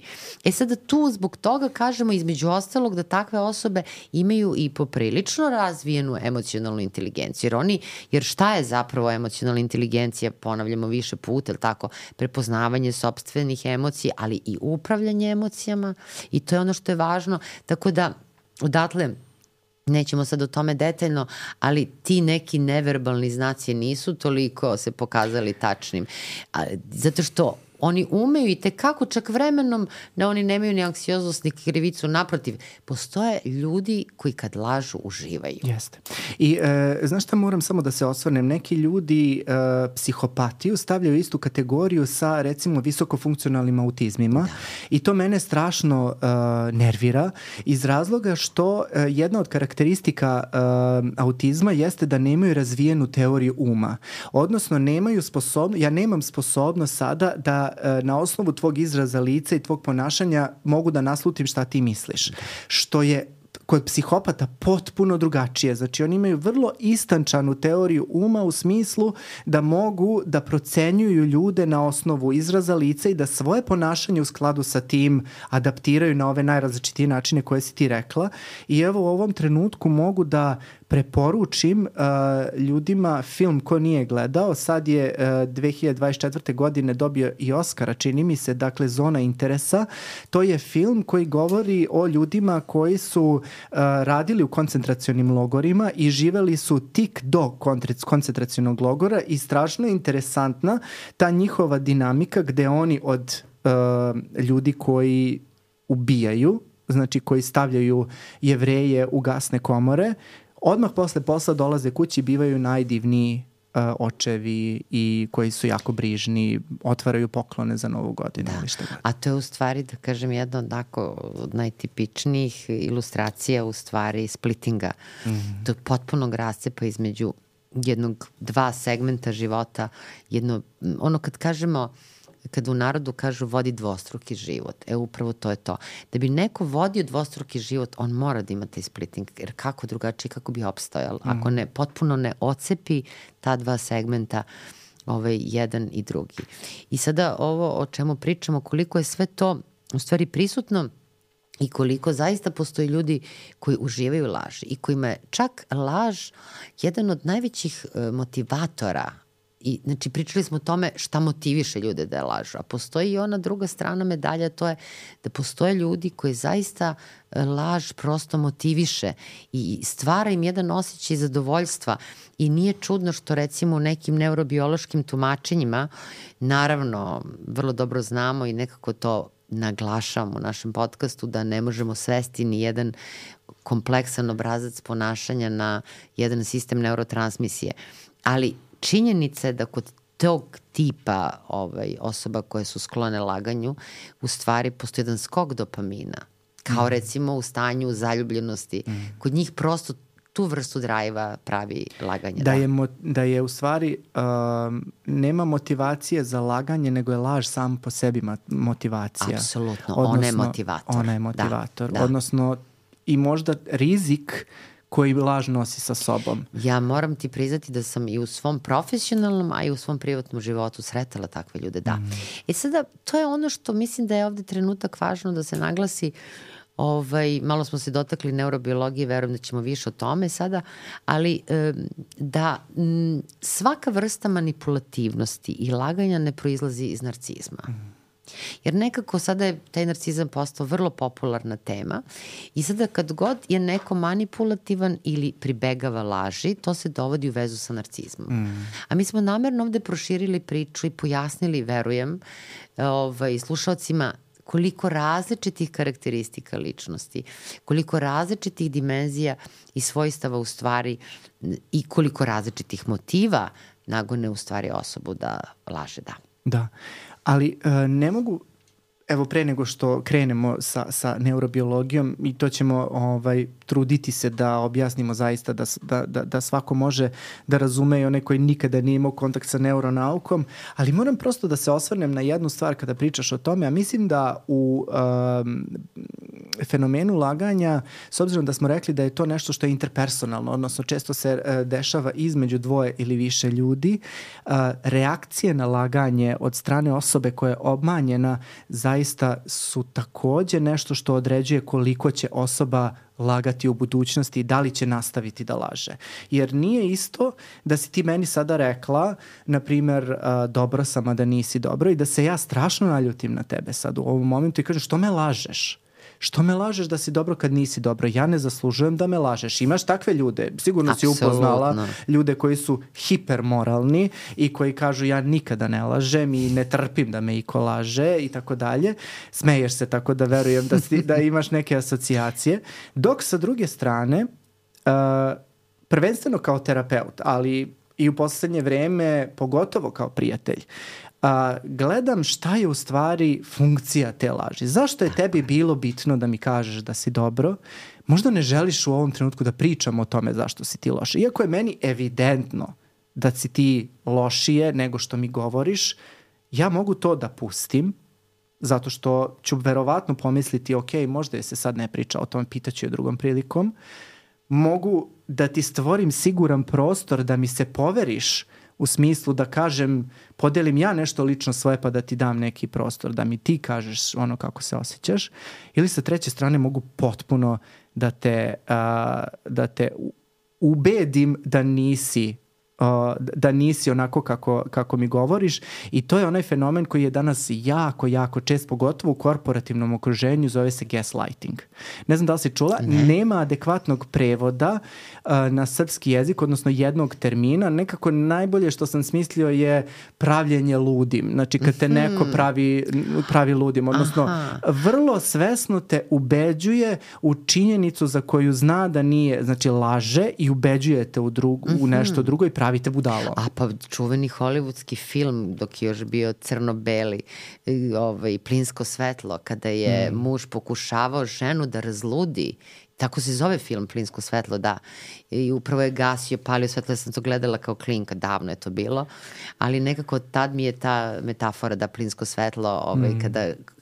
Sada tu zbog toga kažemo između ostalog da takve osobe imaju i poprilično razvijenu emocionalnu inteligenciju. Jer šta je zapravo emocionalna inteligencija, ponavljamo više puta, ili tako, prepoznavanje sopstvenih emocija, ali i upravljanje emocijama i to je ono što je važno. Tako da, odatle, nećemo sad o tome detaljno, ali ti neki neverbalni znaci nisu toliko se pokazali tačnim. Zato što oni umeju i tekako čak vremenom da oni nemaju ni anksioznost ni krivicu, naprotiv, postoje ljudi koji kad lažu uživaju. Jeste. I znaš šta, moram samo da se osvrnem, neki ljudi psihopatiju stavljaju istu kategoriju sa recimo visokofunkcionalnim autizmima i to mene strašno nervira iz razloga što jedna od karakteristika autizma jeste da nemaju razvijenu teoriju uma. Odnosno nemaju sposobnost, ja nemam sposobnost sada da na osnovu tvog izraza lica i tvog ponašanja mogu da naslutim šta ti misliš. Što je kod psihopata potpuno drugačije. Znači, oni imaju vrlo istančanu teoriju uma u smislu da mogu da procenjuju ljude na osnovu izraza lica i da svoje ponašanje u skladu sa tim adaptiraju na ove najrazličitije načine koje si ti rekla. I evo u ovom trenutku mogu da preporučim ljudima film ko nije gledao. Sad je 2024. godine dobio i Oscara, čini mi se, dakle Zona interesa. To je film koji govori o ljudima koji su radili u koncentracionim logorima i živeli su tik do koncentracionog logora i strašno interesantna ta njihova dinamika gde oni od ljudi koji ubijaju, znači koji stavljaju Jevreje u gasne komore, odmah posle posla dolaze kući i bivaju najdivniji očevi i koji su jako brižni, otvaraju poklone za Novu godinu. A to je u stvari, da kažem, jedna od najtipičnijih ilustracija u stvari splittinga. To je potpunog rascepa između dva segmenta života. Ono kad kažemo, kad u narodu kažu vodi dvostruki život, upravo to je to. Da bi neko vodio dvostruki život, on mora da ima taj splitting, jer kako drugačije, kako bi opstojal, ako potpuno ne ocepi ta dva segmenta, jedan i drugi. I sada ovo o čemu pričamo, koliko je sve to u stvari prisutno i koliko zaista postoji ljudi koji uživaju laži i kojima je čak laž jedan od najvećih motivatora. I, znači, pričali smo o tome šta motiviše ljude da je lažu. A postoji i ona druga strana medalja, to je da postoje ljudi koji zaista laž prosto motiviše i stvara im jedan osjećaj zadovoljstva. I nije čudno što recimo u nekim neurobiološkim tumačenjima, naravno, vrlo dobro znamo i nekako to naglašavamo u našem podcastu, da ne možemo svesti ni jedan kompleksan obrazac ponašanja na jedan sistem neurotransmisije. Ali činjenica je da kod tog tipa osoba koje su sklone laganju, u stvari postoji jedan skok dopamina. Kao recimo u stanju zaljubljenosti. Kod njih prosto tu vrstu drajva pravi laganje. Da je u stvari nema motivacije za laganje, nego je laž sam po sebi motivacija. Apsolutno, ona je motivator. Ona je motivator. Da. Odnosno i možda rizik koji laž nosi sa sobom. Ja moram ti priznati da sam i u svom profesionalnom, a i u svom privatnom životu sretala takve ljude, da. Sada, to je ono što mislim da je ovde trenutak važno da se naglasi. Malo smo se dotakli neurobiologije, verujem da ćemo više o tome sada, ali da svaka vrsta manipulativnosti i laganja ne proizlazi iz narcizma. Jer nekako sada je taj narcizam postao vrlo popularna tema i sada kad god je neko manipulativan ili pribegava laži, to se dovodi u vezu sa narcizmom. A mi smo namerno ovde proširili priču i pojasnili, verujem, slušalcima koliko različitih karakteristika ličnosti, koliko različitih dimenzija i svojstava u stvari i koliko različitih motiva nagone u stvari osobu da laže, da. Da, ali ne mogu, evo pre nego što krenemo sa neurobiologijom, i to ćemo truditi se da objasnimo zaista da svako može da razume i onaj koji nikada nije imao kontakt sa neuronaukom, ali moram prosto da se osvrnem na jednu stvar kada pričaš o tome, a mislim da u fenomenu laganja, s obzirom da smo rekli da je to nešto što je interpersonalno, odnosno često se dešava između dvoje ili više ljudi, reakcije na laganje od strane osobe koja je obmanjena zaista su takođe nešto što određuje koliko će osoba lagati u budućnosti i da li će nastaviti da laže. Jer nije isto da si ti meni sada rekla, na primer, dobro sam, a da nisi dobro, i da se ja strašno naljutim na tebe sad u ovom momentu i kažem, što me lažeš? Što me lažeš da si dobro kad nisi dobro? Ja ne zaslužujem da me lažeš. Imaš takve ljude. Sigurno si upoznala ljude koji su hipermoralni i koji kažu ja nikada ne lažem i ne trpim da me iko laže i tako dalje. Smeješ se, tako da verujem da imaš neke asocijacije. Dok sa druge strane, prvenstveno kao terapeut, ali i u poslednje vreme pogotovo kao prijatelj, gledam šta je u stvari funkcija te laži. Zašto je tebi bilo bitno da mi kažeš da si dobro? Možda ne želiš u ovom trenutku da pričam o tome zašto si ti loš. Iako je meni evidentno da si ti lošije nego što mi govoriš, ja mogu to da pustim, zato što ću verovatno pomisliti, ok, možda je se sad ne priča o tome, pitaću je drugom prilikom. Mogu da ti stvorim siguran prostor da mi se poveriš, u smislu da kažem, podelim ja nešto lično svoje pa da ti dam neki prostor, da mi ti kažeš ono kako se osjećaš, ili sa treće strane mogu potpuno da te ubedim da nisi onako kako mi govoriš, i to je onaj fenomen koji je danas jako čest, pogotovo u korporativnom okruženju, zove se gaslighting. Ne znam da li si čula, nema adekvatnog prevoda na srpski jezik, odnosno jednog termina. Nekako najbolje što sam smislio je pravljenje ludim. Znači kad te neko pravi ludim, odnosno vrlo svesno te ubeđuje u činjenicu za koju zna da nije, znači laže i ubeđuje te u nešto drugo i pravite budalo. A pa čuveni hollywoodski film dok je još bio crno-beli, Plinsko svetlo, kada je muž pokušavao ženu da razludi Tako se zove film Plinsko svetlo, da. I upravo je gasio, palio svetlo, ja sam to gledala kao klinka, davno je to bilo, ali nekako tad mi je ta metafora da plinsko svetlo,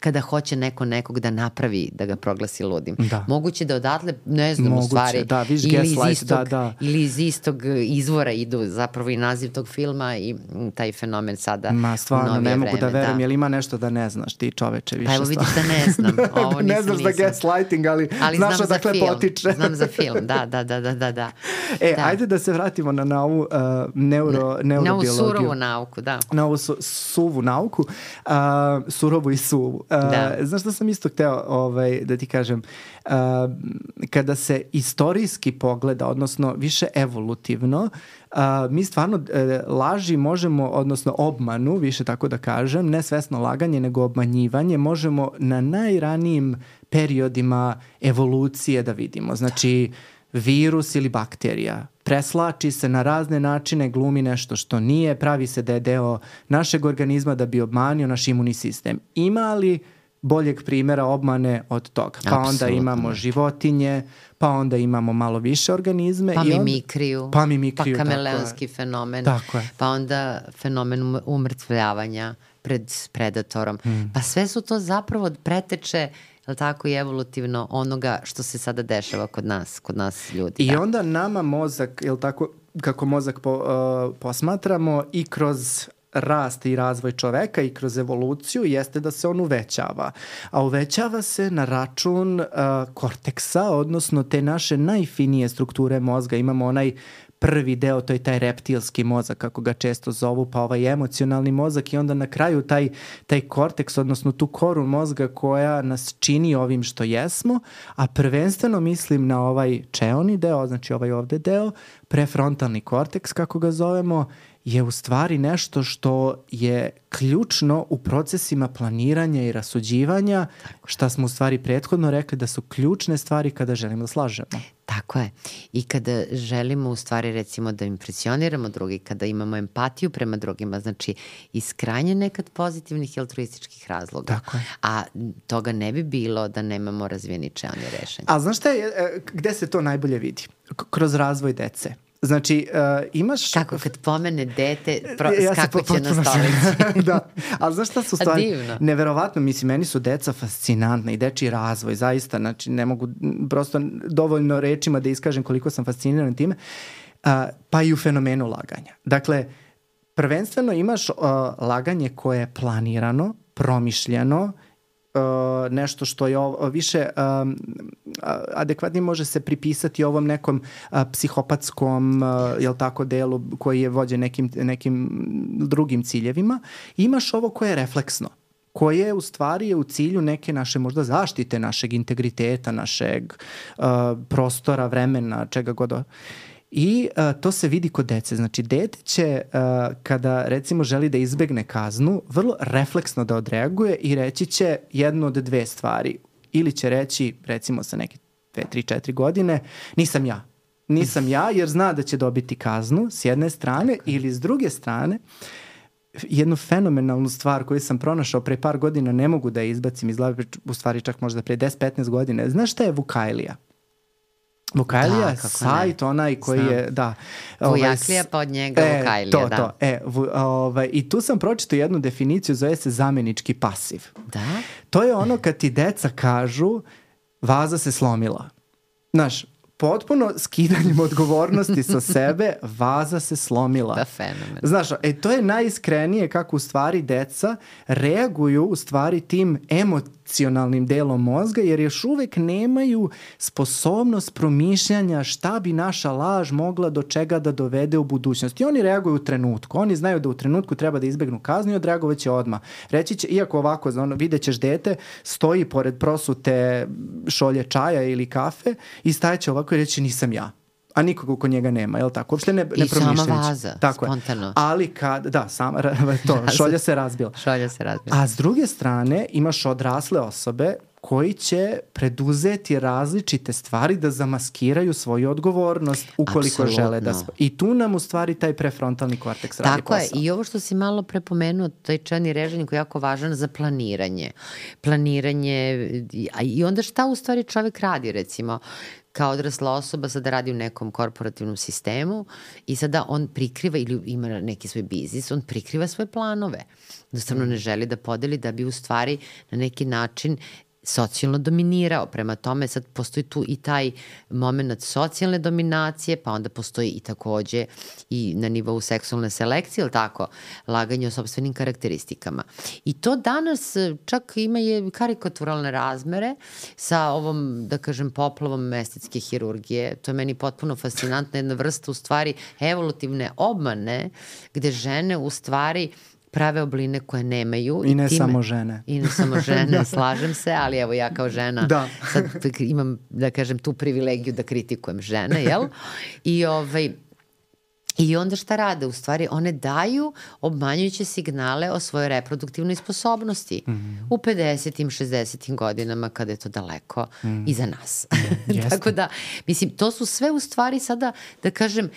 kada hoće neko nekog da napravi, da ga proglasi ludim. Da. Moguće da odatle, ne znam, u stvari, da, ili iz istog izvora idu zapravo i naziv tog filma i taj fenomen sada. Ma stvarno, ne mogu da verujem, jel ima nešto da ne znaš ti čoveče više? Pa evo vidiš da ne znam. Ovo ne znaš za gaslighting, ali znaš odakle potiče. Znam za film, da. Ajde da se vratimo na ovu neurobiologiju. Na ovu surovu nauku, da. Na ovu suvu nauku, surovu i suvu. Znaš što sam isto hteo da ti kažem? Kada se istorijski pogleda, odnosno više evolutivno, mi stvarno laži možemo, odnosno obmanu, više tako da kažem, ne svesno laganje, nego obmanjivanje, možemo na najranijim periodima evolucije da vidimo. Znači, virus ili bakterija preslači se na razne načine, glumi nešto što nije, pravi se da je deo našeg organizma da bi obmanio naš imunni sistem. Ima li boljeg primjera obmane od toga? Pa onda imamo životinje, pa onda imamo malo više organizme. Pa mimikriju, pa kameleonski fenomen, pa onda fenomen umrtvljavanja pred predatorom. Pa sve su to zapravo preteče, jel tako, i evolutivno onoga što se sada dešava kod nas ljudi. I onda nama mozak, jel tako, kako mozak posmatramo i kroz rast i razvoj čoveka i kroz evoluciju jeste da se on uvećava. A uvećava se na račun korteksa, odnosno te naše najfinije strukture mozga. Imamo onaj prvi deo, to je taj reptilski mozak, kako ga često zovu, pa ovaj emocionalni mozak i onda na kraju taj korteks, odnosno tu koru mozga koja nas čini ovim što jesmo, a prvenstveno mislim na ovaj čeoni deo, znači ovaj ovde deo, prefrontalni korteks, kako ga zovemo, je u stvari nešto što je ključno u procesima planiranja i rasuđivanja, šta smo u stvari prethodno rekli da su ključne stvari kada želimo da slažemo. Tako je. I kada želimo u stvari recimo da impresioniramo drugi, kada imamo empatiju prema drugima, znači iz krajnje nekad pozitivnih i altruističkih razloga. Tako je. A toga ne bi bilo da nemamo razvijeni čeoni rešenja. A znaš šta je, gde se to najbolje vidi? Kroz razvoj dece. Znači, imaš... Kako kad pomene dete, skakuće na stolici. Da, ali znaš šta su stvari? Neverovatno, mislim, meni su deca fascinantna i dečiji razvoj, zaista, znači ne mogu prosto dovoljno rečima da iskažem koliko sam fasciniran time, pa i u fenomenu laganja. Dakle, prvenstveno imaš laganje koje je planirano, promišljeno, nešto što je više adekvatnije može se pripisati ovom nekom psihopatskom jel tako delu koji je vođen nekim drugim ciljevima. Imaš ovo koje je refleksno, koje u stvari je u cilju neke naše možda zaštite našeg integriteta, našeg prostora, vremena, čega god. I to se vidi kod dece. Znači, dete će, kada recimo želi da izbegne kaznu, vrlo refleksno da odreaguje i reći će jednu od dve stvari. Ili će reći, recimo sa neke 2, 3, 4 godine, nisam ja, jer zna da će dobiti kaznu s jedne strane, ili s druge strane, jednu fenomenalnu stvar koju sam pronašao pre par godina, ne mogu da je izbacim iz glave, u stvari čak možda pre 10-15 godine. Znaš šta je Vukajlija? Vukajlija je sajt onaj koji je, da. Vujaklija pa od njega Vukajlija, da. I tu sam pročitao jednu definiciju, zove se zamenički pasiv. Da? To je ono kad ti deca kažu vaza se slomila. Znaš, potpuno skidanjem odgovornosti sa sebe, vaza se slomila. Da, fenomen. Znaš, to je najiskrenije kako u stvari deca reaguju u stvari tim emocionalnim delom mozga, jer još uvek nemaju sposobnost promišljanja šta bi naša laž mogla do čega da dovede u budućnosti. Oni reaguju u trenutku. Oni znaju da u trenutku treba da izbegnu kaznu i odreagovaće odmah. Reći će, iako ovako, vidjet ćeš dete, stoji pored prosute šolje čaja ili kafe i stajeće ovako i reći nisam ja. A nikog oko njega nema, je li tako? Uopšte ne promišljajući. I sama vaza, tako spontano. Je. Ali kad, da, šolja se razbila. Šolja se razbila. A s druge strane imaš odrasle osobe koji će preduzeti različite stvari da zamaskiraju svoju odgovornost ukoliko žele da... I tu nam u stvari taj prefrontalni korteks radi posao. Tako je, i ovo što si malo prepomenuo, taj čelni režim koji je jako važan za planiranje. Planiranje, i onda šta u stvari čovek radi, recimo, kao odrasla osoba sada radi u nekom korporativnom sistemu i sada on prikriva ili ima neki svoj biznis, on prikriva svoje planove. Jednostavno ne želi da podeli da bi u stvari na neki način socijalno dominirao. Prema tome sad postoji tu i taj moment socijalne dominacije, pa onda postoji i takođe i na nivou seksualne selekcije, ili tako, laganje o sopstvenim karakteristikama. I to danas čak ima je karikaturalne razmere sa ovom, da kažem, poplavom estetske hirurgije. To je meni potpuno fascinantna jedna vrsta u stvari evolutivne obmane gde žene u stvari prave obline koje nemaju. I ne samo žene. I ne samo žene, slažem se, ali evo ja kao žena sad imam, da kažem, tu privilegiju da kritikujem žene, jel? I onda šta rade? U stvari one daju obmanjujuće signale o svojoj reproduktivnoj sposobnosti u 50-im, 60-im godinama kada je to daleko iza nas. Tako da, mislim, to su sve u stvari sada, da kažem,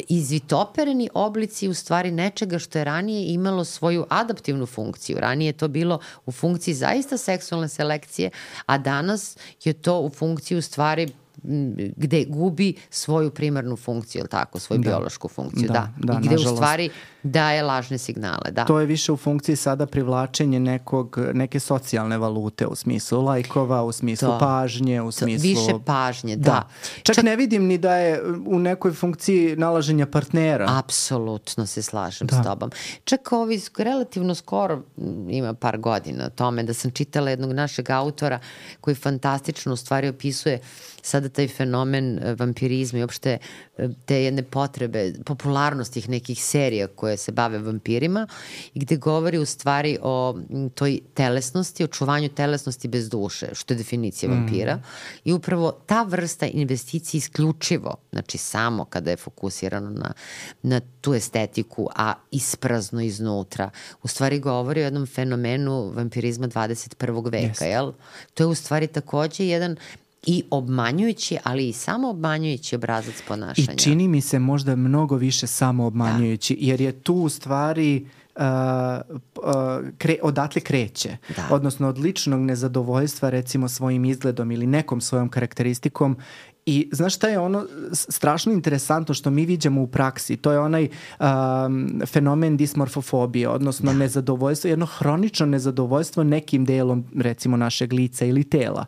izvitopereni oblici u stvari nečega što je ranije imalo svoju adaptivnu funkciju. Ranije je to bilo u funkciji zaista seksualne selekcije, a danas je to u funkciji u stvari gde gubi svoju primarnu funkciju, ili tako, svoju biološku funkciju, i gde u stvari daje lažne signale, To je više u funkciji sada privlačenje neke socijalne valute, u smislu lajkova, u smislu pažnje, u smislu... Više pažnje, da. Čak ne vidim ni da je u nekoj funkciji nalaženja partnera. Apsolutno se slažem s tobom. Čak relativno skoro, ima par godina o tome, da sam čitala jednog našeg autora koji fantastično u stvari opisuje sada taj fenomen vampirizma i uopšte te jedne potrebe, popularnosti nekih serija koje se bave vampirima i gde govori u stvari o toj telesnosti, očuvanju telesnosti bez duše, što je definicija vampira. I upravo ta vrsta investicije isključivo, znači samo kada je fokusirano na tu estetiku, a isprazno iznutra, u stvari govori o jednom fenomenu vampirizma 21. veka, jel? To je u stvari takođe jedan i obmanjujući, ali i samo obmanjujući obrazac ponašanja. I čini mi se možda mnogo više samo obmanjujući, jer je tu u stvari odatle kreće. Odnosno od ličnog nezadovoljstva recimo svojim izgledom ili nekom svojom karakteristikom. I znaš šta je ono strašno interesantno što mi viđamo u praksi? To je onaj fenomen dismorfofobije, odnosno nezadovoljstvo, jedno hronično nezadovoljstvo nekim delom recimo našeg lica ili tela.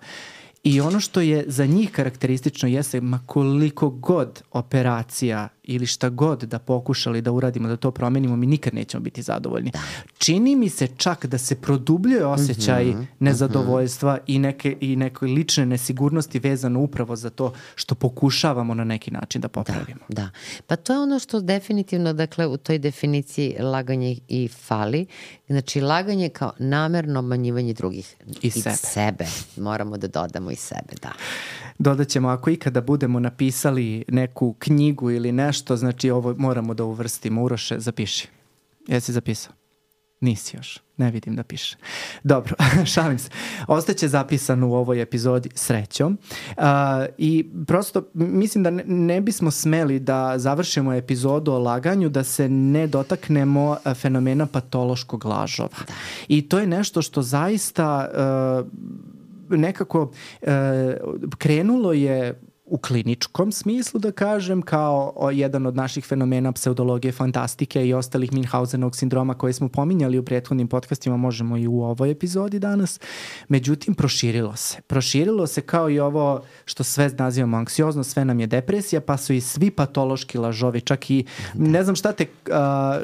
I ono što je za njih karakteristično jeste ma koliko god operacija ili šta god da pokušali da uradimo, da to promenimo, mi nikad nećemo biti zadovoljni. Čini mi se čak da se produbljuje osjećaj nezadovoljstva i neke lične nesigurnosti vezano upravo za to što pokušavamo na neki način da popravimo. Da. Pa to je ono što definitivno, dakle, u toj definiciji laganje i fali. Znači, laganje kao namerno obmanjivanje drugih. I sebe. Moramo da dodamo i sebe, da. Dodat ćemo, ako ikada budemo napisali neku knjigu ili nešto, znači ovo moramo da uvrstimo. Uroše, zapiši. Jesi zapisao? Nisi još. Ne vidim da piše. Dobro, šalim se. Ostaće zapisano u ovoj epizodi srećom. I prosto mislim da ne bismo smeli da završimo epizodu o laganju da se ne dotaknemo fenomena patološkog lažova. I to je nešto što zaista nekako krenulo je u kliničkom smislu, da kažem, kao jedan od naših fenomena pseudologije fantastike i ostalih Münchhausenovog sindroma koje smo pominjali u prethodnim podcastima, možemo i u ovoj epizodi danas. Međutim, proširilo se. Proširilo se kao i ovo što sve nazivamo anksiozno, sve nam je depresija, pa su i svi patološki lažovi, čak i ne znam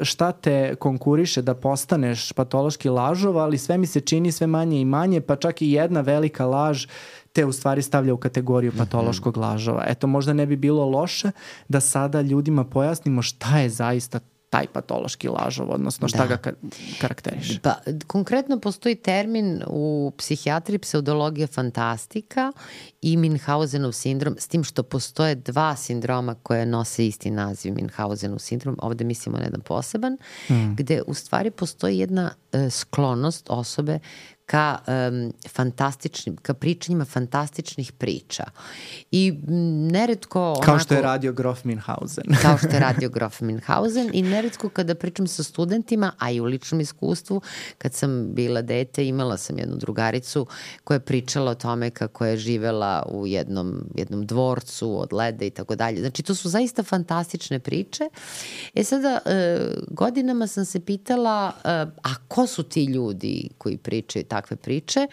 šta te konkuriše da postaneš patološki lažov, ali sve mi se čini sve manje i manje, pa čak i jedna velika laž te u stvari stavlja u kategoriju patološkog lažova. Eto, možda ne bi bilo loše da sada ljudima pojasnimo šta je zaista taj patološki lažov, odnosno šta ga karakteriše. Pa, konkretno postoji termin u psihijatriji pseudologija fantastika i Münchhausenov sindrom, s tim što postoje dva sindroma koje nose isti naziv, Münchhausenov sindrom, ovde mislimo na jedan poseban, gde u stvari postoji jedna sklonost osobe ka pričanjima fantastičnih priča. I neretko... Kao što je radio Grof Minhausen. Kao što je radio Grof Minhausen i neretko kada pričam sa studentima, a i u ličnom iskustvu, kad sam bila dete, imala sam jednu drugaricu koja je pričala o tome kako je živela u jednom dvorcu od leda i tako dalje. Znači, to su zaista fantastične priče. Sada, godinama sam se pitala, a ko su ti ljudi koji pričaju takve priče?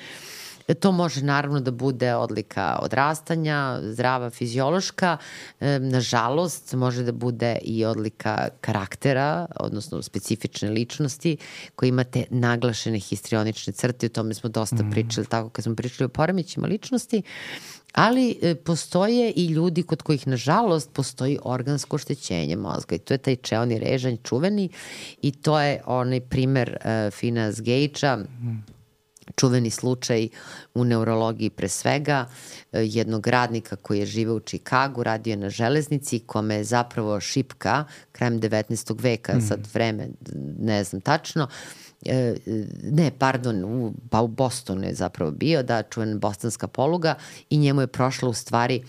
To može naravno da bude odlika odrastanja, zdrava, fiziološka. Nažalost, može da bude i odlika karaktera, odnosno specifične ličnosti koji imate naglašene histrionične crte. O tome smo dosta pričali, tako kad smo pričali o poremećima ličnosti. Ali postoje i ljudi kod kojih, nažalost, postoji organsko oštećenje mozga i to je taj čeoni režanj čuveni i to je onaj primer Phineas Gagea, čuveni slučaj u neurologiji pre svega, jednog radnika koji je živeo u Čikagu, radio je na železnici, kome je zapravo šipka krajem 19. veka, sad vreme, ne znam tačno, u Bostonu je zapravo bio, čuvena bostonska poluga i njemu je prošla u stvari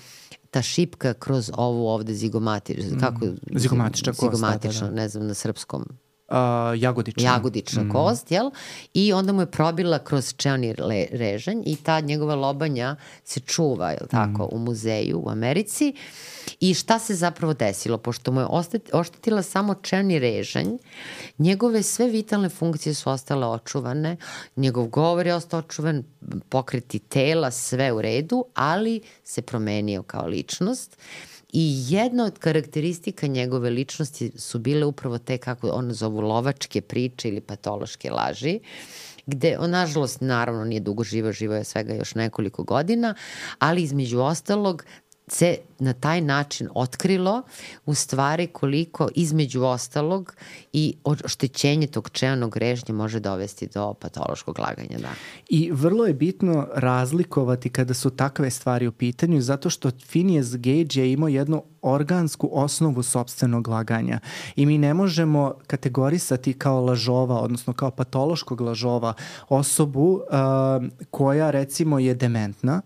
ta šipka kroz ovu ovde zigomatična kost, ne znam na srpskom. Jagodična kost, jel? I onda mu je probila kroz čeoni režanj i ta njegova lobanja se čuva, jel tako, u muzeju u Americi. I šta se zapravo desilo? Pošto mu je oštetila samo čeoni režanj, njegove sve vitalne funkcije su ostale očuvane, njegov govor je ostao očuvan, pokreti tela, sve u redu, ali se promenio kao ličnost. I jedna od karakteristika njegove ličnosti su bile upravo te, kako ono zovu, lovačke priče ili patološke laži, gde on, nažalost, naravno nije dugo živao je svega još nekoliko godina, ali između ostalog se na taj način otkrilo u stvari koliko između ostalog i oštećenje tog čeonog režnja može dovesti do patološkog laganja. Da. I vrlo je bitno razlikovati kada su takve stvari u pitanju, zato što Phineas Gage je imao jednu organsku osnovu sopstvenog laganja i mi ne možemo kategorisati kao lažova, odnosno kao patološkog lažova osobu koja recimo je dementna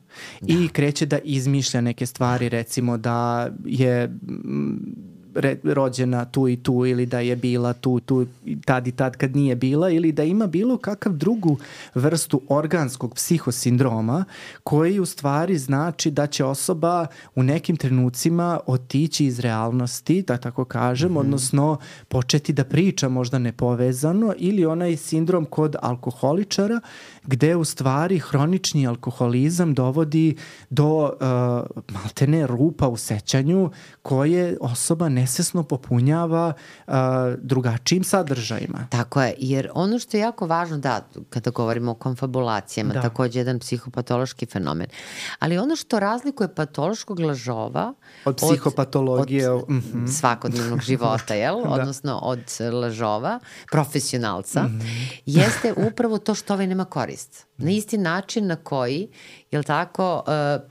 i kreće da izmišlja neke stvari, recimo da je rođena tu i tu ili da je bila tu tad i tad kad nije bila ili da ima bilo kakav drugu vrstu organskog psihosindroma koji u stvari znači da će osoba u nekim trenucima otići iz realnosti, da tako kažem, odnosno početi da priča možda nepovezano, ili onaj sindrom kod alkoholičara gde u stvari hronični alkoholizam dovodi do maltene rupa u sećanju koje osoba nesvesno popunjava drugačijim sadržajima. Tako je, jer ono što je jako važno, kada govorimo o konfabulacijama, takođe jedan psihopatološki fenomen, ali ono što razlikuje patološkog lažova od psihopatologije od svakodnevnog života, jel? Odnosno od lažova, profesionalca, jeste upravo to što ovaj nema korist. Na isti način na koji, jel tako,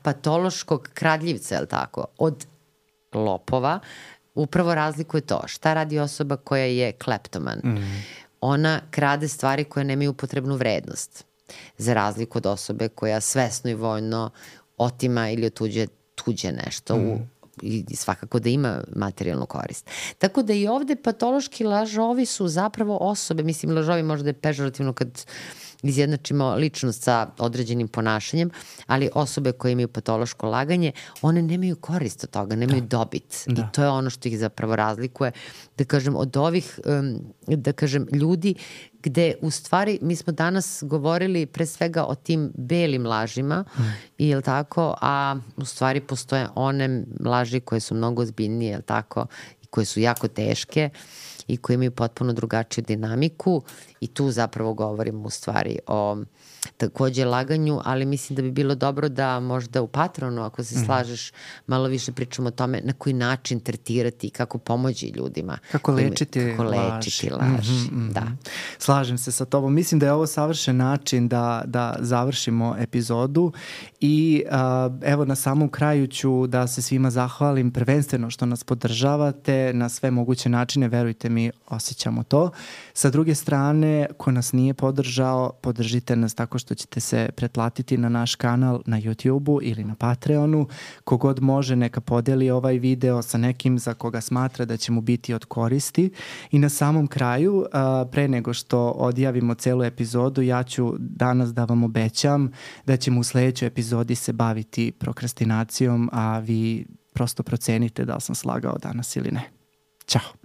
patološkog kradljivca, jel tako, od lopova, upravo razlikuje to. Šta radi osoba koja je kleptoman? Ona krade stvari koje nemaju upotrebnu vrednost. Za razliku od osobe koja svesno i voljno otima ili tuđe nešto i svakako da ima materijalnu korist. Tako da i ovde patološki lažovi su zapravo osobe, mislim lažovi možda je pežorativno kad izjednačimo ličnost sa određenim ponašanjem, ali osobe koje imaju patološko laganje, one nemaju korist od toga, nemaju dobit. I to je ono što ih zapravo razlikuje, da kažem, od ovih, da kažem, ljudi gde u stvari mi smo danas govorili pre svega o tim belim lažima, jel tako, a u stvari postoje one laži koje su mnogo ozbiljnije, jel tako, i koje su jako teške i koji imaju potpuno drugačiju dinamiku i tu zapravo govorimo u stvari o takođe laganju, ali mislim da bi bilo dobro da možda u Patronu, ako se slažeš, malo više pričamo o tome na koji način tretirati i kako pomoći ljudima. Kako lečiti laž. Da. Slažem se sa tobom. Mislim da je ovo savršen način da završimo epizodu i evo na samom kraju ću da se svima zahvalim prvenstveno što nas podržavate na sve moguće načine, verujte mi, osjećamo to. Sa druge strane, ko nas nije podržao, podržite nas tako tako što ćete se pretplatiti na naš kanal na YouTube-u ili na Patreonu. Kogod može neka podeli ovaj video sa nekim za koga smatra da će mu biti od koristi. I na samom kraju, pre nego što odjavimo celu epizodu, ja ću danas da vam obećam da ćemo u sledećoj epizodi se baviti prokrastinacijom, a vi prosto procenite da li sam slagao danas ili ne. Ćao!